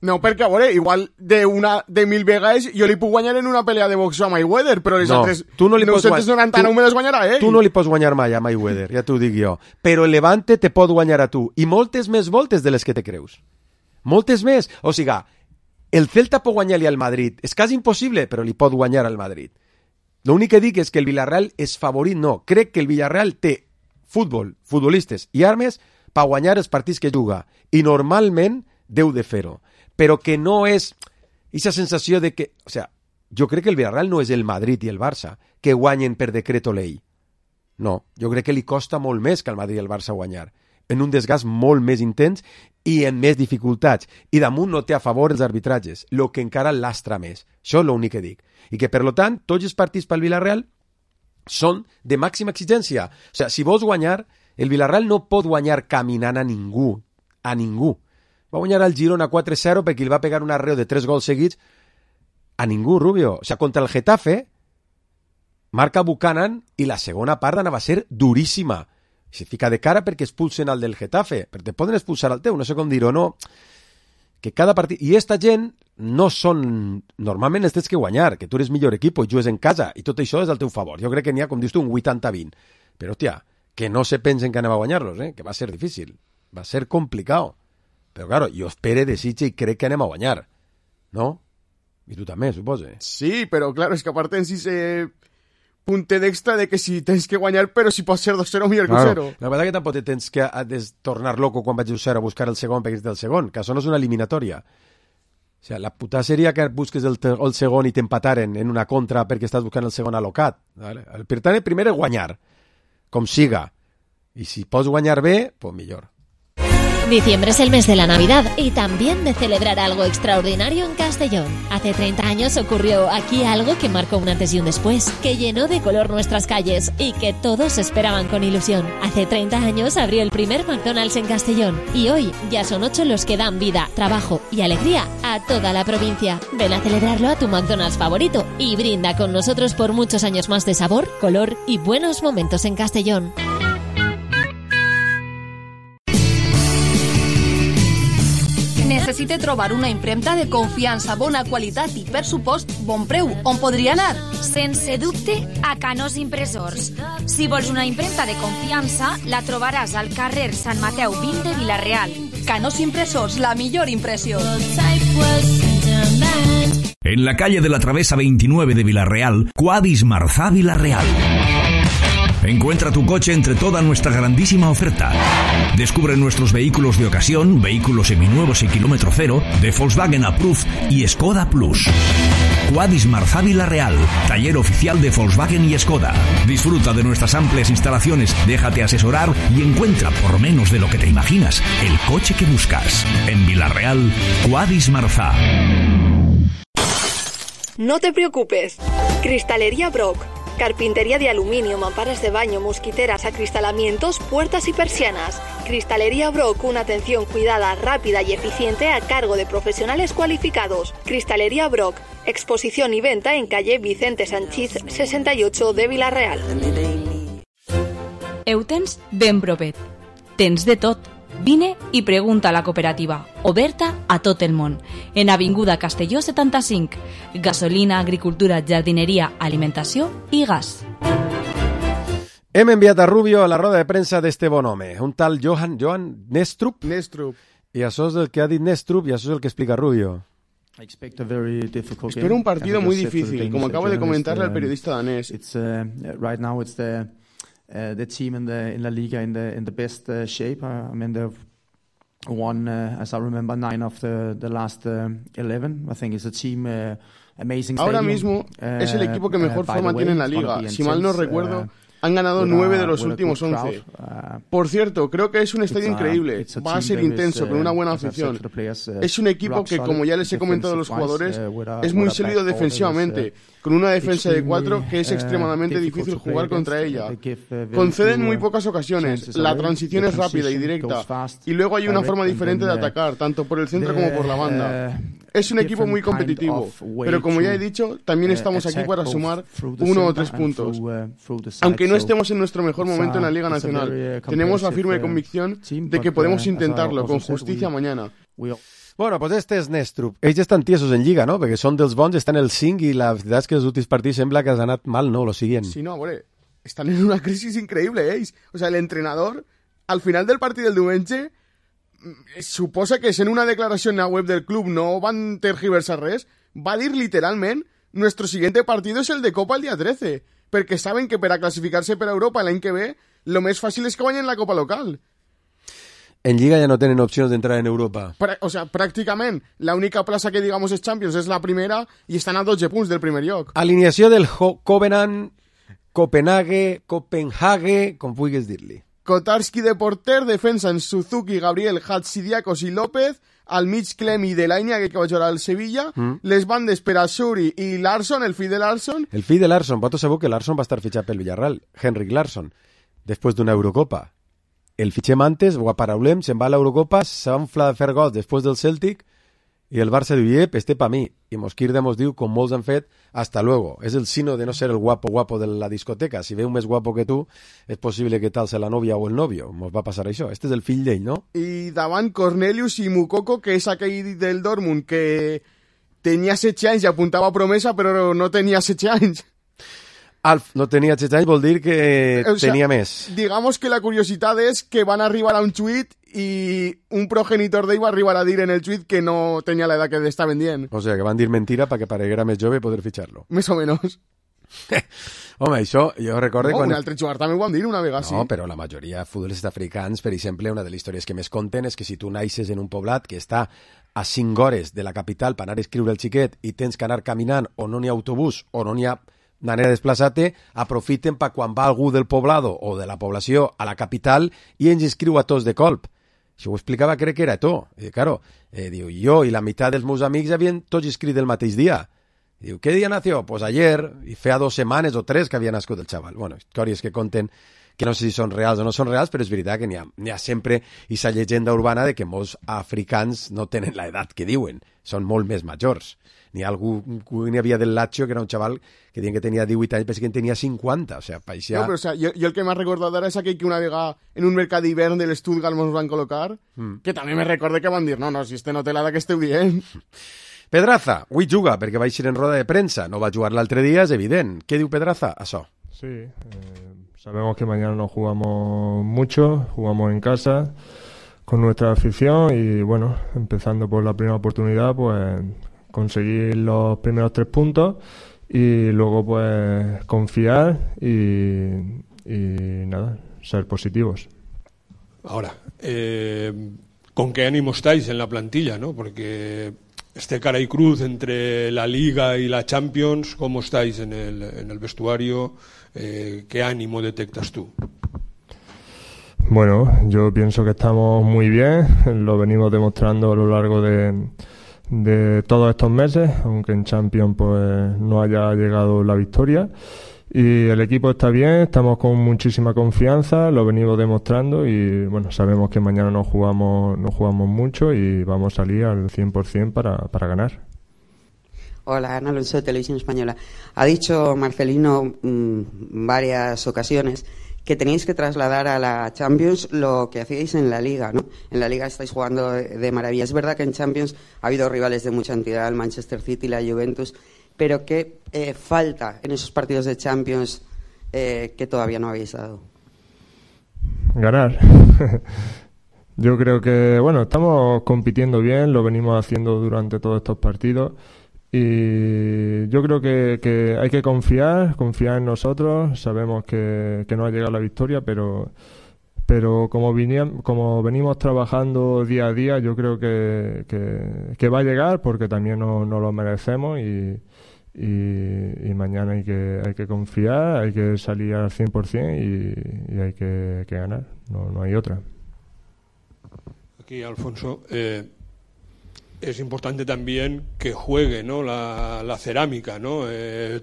No, perquè, a veure, igual de 1.000 vegades jo li puc guanyar en una pelea de boxeo a Mayweather, però les altres 999 me les guanyarà ell. Tu no li pots guanyar mai a Mayweather, ja t'ho dic jo. Però el Levante te pot guanyar a tu, i moltes més voltes de les que te creus. Moltes més. O sigui, el Celta pot guanyar-li al Madrid. És quasi impossible, però li pot guanyar al Madrid. L'únic que dic és que el Villarreal és favorit. No, crec que el Villarreal té futbolistes i armes per guanyar els partits que juga. I normalment deu de fer-ho. Però que no és aquesta sensació de que... O sigui, jo crec que el Villarreal no és el Madrid i el Barça que guanyen per decreto ley. No, jo crec que li costa molt més que al Madrid i el Barça guanyar. En un desgast molt més intens i en més dificultats. I damunt no té a favor els arbitratges, el que encara lastra més. Això és l'únic que dic. I que, per tant, tots els partits pel Villarreal són de màxima exigència. O sigui, si vols guanyar, el Villarreal no pot guanyar caminant a ningú. A ningú. Va guanyar al Girona 4-0 perquè li va pegar un arreo de 3 gols seguits a ningú, Rubio. O sigui, contra el Getafe marca Buchanan i la segona part anava a ser duríssima. Se fica de cara perquè expulsen al del Getafe, però te poden expulsar al teu, no sé com dir-ho, no. Que cada partit... I esta gent no són... Normalment els tens que guanyar, que tu eres millor equip i jugues en casa, i tot això és al teu favor. Jo crec que n'hi ha, com dius tu, un 80-20. Però, hòstia, que no se pensen que anem a guanyar-los, que va ser difícil. Va ser complicat. Però, claro, jo espere, desitge i crec que anem a guanyar. No? I tu també, suposo. Sí, però, claro, és que aparte en sí se... puntet extra de que si tens que guanyar, però si pot ser 2-0 millor que 0. La veritat que tampoc tens que tornar loco quan vaig a 0 a buscar el segon perquè és del segon, que això no és una eliminatòria. O sigui, la puta seria que busques el segon i t'empataren en una contra perquè estàs buscant el segon alocat. ¿Vale? El primer és guanyar, com siga. I si pots guanyar bé, pues millor. Diciembre es el mes de la Navidad y también de celebrar algo extraordinario en Castellón. Hace 30 años ocurrió aquí algo que marcó un antes y un después, que llenó de color nuestras calles y que todos esperaban con ilusión. Hace 30 años abrió el primer McDonald's en Castellón y hoy ya son 8 los que dan vida, trabajo y alegría a toda la provincia. Ven a celebrarlo a tu McDonald's favorito y brinda con nosotros por muchos años más de sabor, color y buenos momentos en Castellón. Necessite trobar una impremta de confiança, bona qualitat i, per supost, bon preu. On podria anar? Sense dubte, a Canós Impressors. Si vols una impremta de confiança, la trobaràs al carrer Sant Mateu 20 de Vila-real. Canós Impressors, la millor impressió. En la calle de la Travesa 29 de Vila-real, Quadis Marzá Vila-real. Encuentra tu coche entre toda nuestra grandísima oferta. Descubre nuestros vehículos de ocasión, vehículos seminuevos y kilómetro cero, de Volkswagen Approved y Skoda Plus. Quadis Marzá Vila-real, taller oficial de Volkswagen y Skoda. Disfruta de nuestras amplias instalaciones, déjate asesorar y encuentra, por menos de lo que te imaginas, el coche que buscas. En Vila-real, Quadis Marzá. No te preocupes. Cristalería Brock. Carpintería de aluminio, mamparas de baño, mosquiteras, acristalamientos, puertas y persianas. Cristalería Brock, una atención cuidada, rápida y eficiente a cargo de profesionales cualificados. Cristalería Brock, exposición y venta en calle Vicente Sanchís 68 de Vila-real. Eutens ben propet. Tens de tot. Vine i pregunta a la cooperativa, oberta a tot el món. En Avinguda Castelló 75. Gasolina, agricultura, jardineria, alimentació i gas. Hem enviat a Rubio a la roda de premsa d'este bon home, un tal Johan Nestrup. I això és el que ha dit Nestrup i això és el que explica Rubio. Espero un partido muy difícil, como acaba de comentarle el periodista danés. Right now it's the team in la liga in the best shape. I mean, they've won, as I remember, 9 of the last 11. I think it's a team amazing. Ahora stadium. mismo es el equipo que mejor forma tiene en la liga. Si mal no recuerdo, han ganado 9 de los últimos 11. Por cierto, creo que es un estadio increíble. Va a ser intenso, con una buena afición. Es un equipo que, como ya les he comentado a los jugadores, es muy sólido defensivamente, con una defensa de 4 que es extremadamente difícil jugar contra ella. Conceden muy pocas ocasiones, la transición es rápida y directa, y luego hay una forma diferente de atacar, tanto por el centro como por la banda. Es un equipo muy competitivo, pero como ya he dicho, también estamos aquí para sumar 1 o 3 puntos. Aunque no estemos en nuestro mejor momento en la Liga Nacional, tenemos la firme convicción de que podemos intentarlo con justicia mañana. Bueno, pues este és Nestrup. Ells estan tiesos en Lliga, no? Perquè són dels bons, estan el 5 i la veritat és que els últims partits sembla que has anat mal, ¿no? Lo siguiente. Sí, no, hombre, están en una crisis increíble, ells. O sea, el entrenador, al final del partit del diumenge, suposa que en una declaració en la web del club no van tergiversar res, va dir literalment nuestro siguiente partido es el de Copa el día 13, perquè saben que per a classificar-se per a Europa l'any que ve, lo més fàcil és que guanyen la Copa local. En Lliga ja no tenen opcions d'entrar en Europa. O sea, pràcticament, l'única plaça que digamos és Champions és la primera i estan a 12 punts del primer lloc. Alineació del Covenant, Copenhague, com vulguis dir-li. Kotarski de porter, defensa en Suzuki, Gabriel, Hatsidiakos i López, al mig Clem i Delaina, que va jugar al Sevilla, les bandes per a Suri i Larsson, el fill de Larsson. El fill de Larsson, vosaltres sabeu que Larsson va estar fitxat pel Villarreal, Henrik Larsson, després d'una Eurocopa. El fitxem antes, ho aparaulem, se'n va a l'Eurocopa, se va inflar de fer gols després del Celtic, i el Barça diu, este pa mi. I Mosquirda mos diu, com molts han fet, hasta luego. És el sino de no ser el guapo de la discoteca. Si veu més guapo que tu, és possible que tal sea la novia o el novio. Mos va passar això. Este és el fill d'ell, no? I davant Cornelius i Mukoko, que és aquell del Dortmund, que tenia 16 anys i apuntava a promesa, però no tenia 16 anys. No tenia 16 anys vol dir que tenia més. Digamos que la curiositat és que van arribar a un tuit i un progenitor d'ell va arribar a dir en el tuit que no tenia l'edat que estaven dient. O sea, que van dir mentira perquè pareguera més jove poder fitxar-lo. Més o menys. Home, això jo recordo... Un altre jugador també ho van dir una vegada, sí. No, però la majoria de futbolistes africans, per exemple, una de les històries que més conten és que si tu naixes en un poblat que està a 5 hores de la capital per anar a escriure el xiquet i tens que anar caminant o no n'hi ha autobús o no n'hi ha manera de desplaçar-te, aprofiten per quan va algú del poblado o de la població a la capital i ens inscriu a tots de colp. Això ho explicava, crec que era to. Claro, diu, jo i la meitat dels meus amics havien tots inscrit el mateix dia. Diu, ¿qué día nació? Pues ayer, i feia 2 setmanes o 3 que havia nascut el xaval. Bueno, històries que conten que no sé si són reals o no són reals, però és veritat que n'hi ha sempre aquesta llegenda urbana de que molts africans no tenen l'edat que diuen, són molt més majors. N'hi havia del Lazio, que era un xaval que deien que tenia 18 anys, però que en tenia 50, o sea, paixia... No, pero o sea, yo el que me ha recordado ahora es aquel que una vega en un mercado d'hivern del Stuttgart nos van colocar, que també me recordé que van dir, no, si este no té l'edat que esteu dient. Pedraza, avui juga perquè va eixir en roda de premsa, no va jugar l'altre dia, és evident. Què diu Pedraza? Això. Sí, sabemos que mañana no jugamos mucho, jugamos en casa con nuestra afición y bueno, empezando por la primera oportunidad, pues conseguir los primeros 3 puntos y luego pues confiar y nada, ser positivos. Ahora, ¿con qué ánimo estáis en la plantilla, no? Porque este cara y cruz entre la Liga y la Champions, ¿cómo estáis en el vestuario? ¿Qué ánimo detectas tú? Bueno, yo pienso que estamos muy bien, lo venimos demostrando a lo largo de todos estos meses, aunque en Champions pues no haya llegado la victoria. Y el equipo está bien, estamos con muchísima confianza, lo venimos demostrando y bueno, sabemos que mañana no jugamos mucho y vamos a salir al 100% para ganar. Hola, Ana Alonso de Televisión Española. Ha dicho Marcelino varias ocasiones que tenéis que trasladar a la Champions lo que hacíais en la Liga, ¿no? En la Liga estáis jugando de maravilla. Es verdad que en Champions ha habido rivales de mucha entidad, el Manchester City, la Juventus, pero ¿qué falta en esos partidos de Champions que todavía no habéis dado? Ganar. Yo creo que, bueno, estamos compitiendo bien, lo venimos haciendo durante todos estos partidos. Y yo creo que hay que confiar en nosotros. Sabemos que no ha llegado la victoria, pero como venimos trabajando día a día, yo creo que va a llegar porque también nos lo merecemos y mañana hay que confiar, hay que salir al 100% y hay que ganar. No hay otra. Aquí, Alfonso, es importante también que juegue, ¿no? la cerámica, ¿no?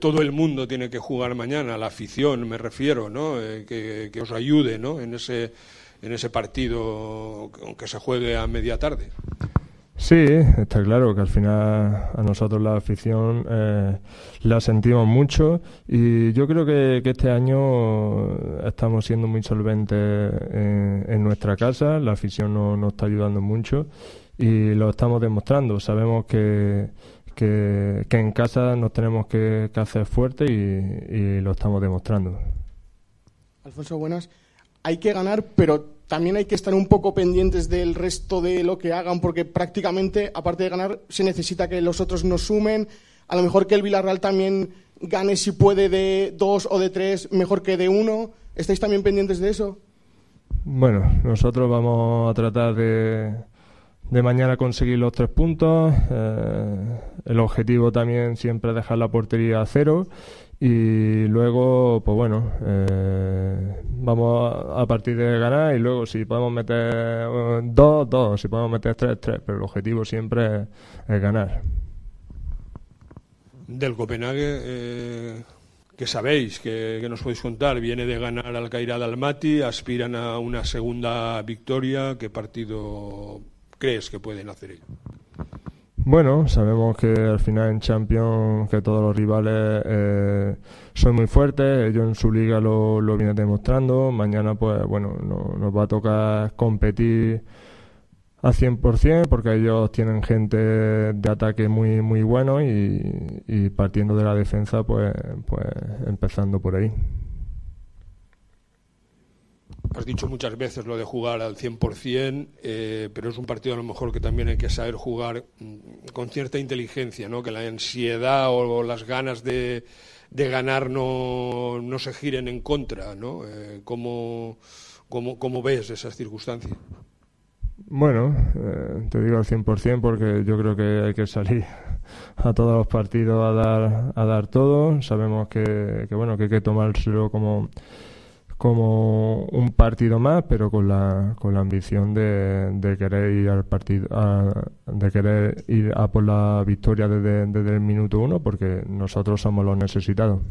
Todo el mundo tiene que jugar mañana, la afición me refiero, ¿no? Que os ayude, ¿no? en ese partido, aunque se juegue a media tarde. Sí, está claro que al final a nosotros la afición la sentimos mucho y yo creo que este año estamos siendo muy solventes en nuestra casa, la afición nos está ayudando mucho y lo estamos demostrando. Sabemos que en casa nos tenemos que hacer fuertes y lo estamos demostrando. Alfonso, buenas. Hay que ganar, pero también hay que estar un poco pendientes del resto de lo que hagan, porque prácticamente, aparte de ganar, se necesita que los otros nos sumen. A lo mejor que el Villarreal también gane, si puede, de 2 o de 3, mejor que de 1. ¿Estáis también pendientes de eso? Bueno, nosotros vamos a tratar de mañana conseguir los 3 puntos. El objetivo también siempre es dejar la portería a 0. Y luego, pues bueno, vamos a partir de ganar y luego si podemos meter 2, si podemos meter 3, pero el objetivo siempre es ganar. Del Copenhague, ¿qué sabéis? ¿Qué nos podéis contar? Viene de ganar al Kairat Almaty, aspiran a una segunda victoria. ¿Qué partido crees que pueden hacer ellos? Bueno, sabemos que al final en Champions que todos los rivales son muy fuertes, ellos en su liga lo vienen demostrando. Mañana pues bueno, nos va a tocar competir al 100% porque ellos tienen gente de ataque muy muy bueno y partiendo de la defensa pues empezando por ahí. Has dicho muchas veces lo de jugar al 100%, pero es un partido a lo mejor que también hay que saber jugar con cierta inteligencia, ¿no? Que la ansiedad o las ganas de ganar no se giren en contra, ¿no? ¿Cómo ves esas circunstancias? Bueno, te digo al 100% porque yo creo que hay que salir a todos los partidos a dar todo. Sabemos que bueno, que hay que tomárselo como como un partido más, pero con la ambición de querer ir al partido, de querer ir a por la victoria desde el minuto 1, porque nosotros somos los necesitados.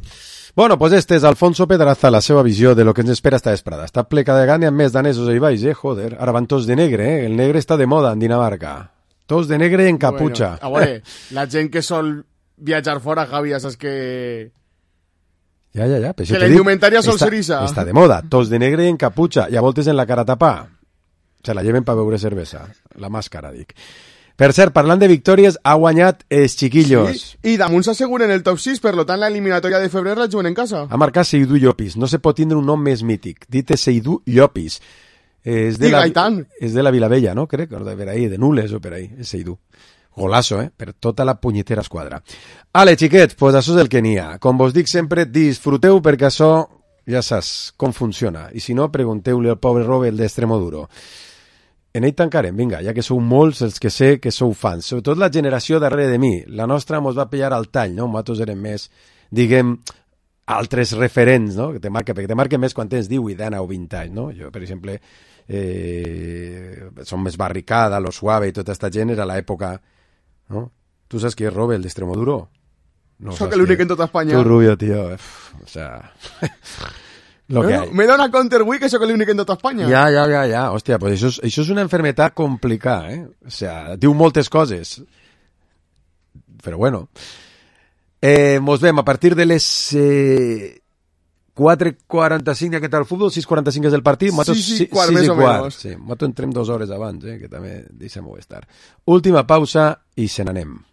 Bueno, pues este és Alfonso Pedraza, la seva visió de lo que ens espera esta vesprada. Està ple cada gana amb més danesos ahí baix, joder. Ara van tots de negre, El negre està de moda en Dinamarca. Tots de negre en caputxa. Bueno, a veure, la gent que sol viatjar fora, Javi, ja saps que... Ja. Que la indumentària sol ser isa. Està de moda, tots de negre en caputxa, i a voltes en la cara tapà. Se la lleven per beure cervesa. La màscara, dic. Per cert, parlant de victòries, ha guanyat els chiquillos. Sí, i damunt s'asseguren el top 6, per tant la eliminatòria de febrer la juguen en casa. Ha marcat Seydou Llopis. No se pot tindre un nom més mític. Dit és Seydou Llopis. És de la Vilavella, no? Crec, de per ahí, de Nules o per ahí, és Seydou. Golazo, per tota la punyetera esquadra. Ale, xiquets, pues això és el que n'hi ha. Com vos dic sempre, disfruteu perquè això ja saps com funciona. I si no, pregunteu-li al pobre Robert d'Extremoduro. En ell tancarem, vinga, ja que sou molts els que sé que sou fans. Sobretot la generació darrere de mi. La nostra mos va pillar al tall, no? Nosaltres érem més, diguem, altres referents, no? Perquè te marquen més quan tens 18 anys o 20 anys, no? Jo, per exemple, som més Barricada, Lo Suave i tota esta gent era l'època, no? Tu saps qui és Robert d'Extremoduro? No, soc l'únic en tota Espanya. Tu, rubio, tío. O sea... Lo que hay. Me dona counter que això que l'únic en tota Espanya. Ja. Hòstia, pues això és una enfermedad complicada, O sea, diu moltes coses. Però bueno. Mos vem a partir de les 4:45 aquest el futbol, 6:45 és el partit. 6:15 més o menys. Sí, nosaltres entrem 2 hores abans, que també deixem-ho estar. Última pausa i se n'anem.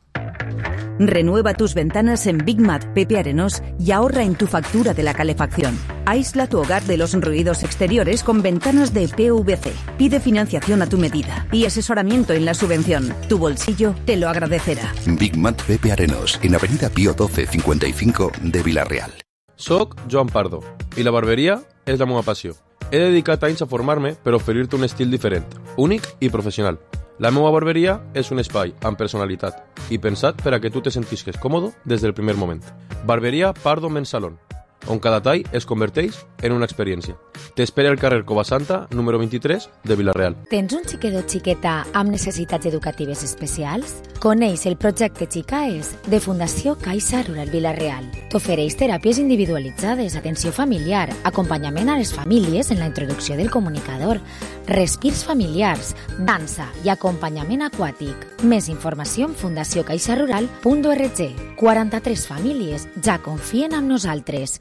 Renueva tus ventanas en Big Mat Pepe Arenós y ahorra en tu factura de la calefacción. Aísla tu hogar de los ruidos exteriores con ventanas de PVC. Pide financiación a tu medida y asesoramiento en la subvención. Tu bolsillo te lo agradecerá. Big Mat Pepe Arenós, en Avenida Pío 12 55 de Vila-real. Soc Joan Pardo i la barberia és la meva passió. He dedicat anys a formar-me per oferir-te un estil diferent, únic i professional. La meva barberia és un espai amb personalitat i pensat per a que tu te sentisques còmode des del primer moment. Barberia Pardo Men's Salon, on cada tall es converteix en una experiència. T'espera al carrer Covasanta, número 23, de Vila-real. Tens un xiquet o xiqueta amb necessitats educatives especials? Coneix el projecte Xicaes de Fundació Caixa Rural Vila-real. T'ofereix teràpies individualitzades, atenció familiar, acompanyament a les famílies en la introducció del comunicador, respirs familiars, dansa i acompanyament aquàtic. Més informació en fundaciocaixarural.org. 43 famílies ja confien en nosaltres.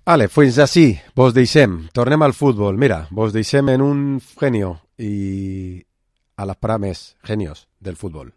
Ale, fins així, vos deixem. Tornem al futbol. Mira, vos deixem en un genio i a les prames genios del futbol.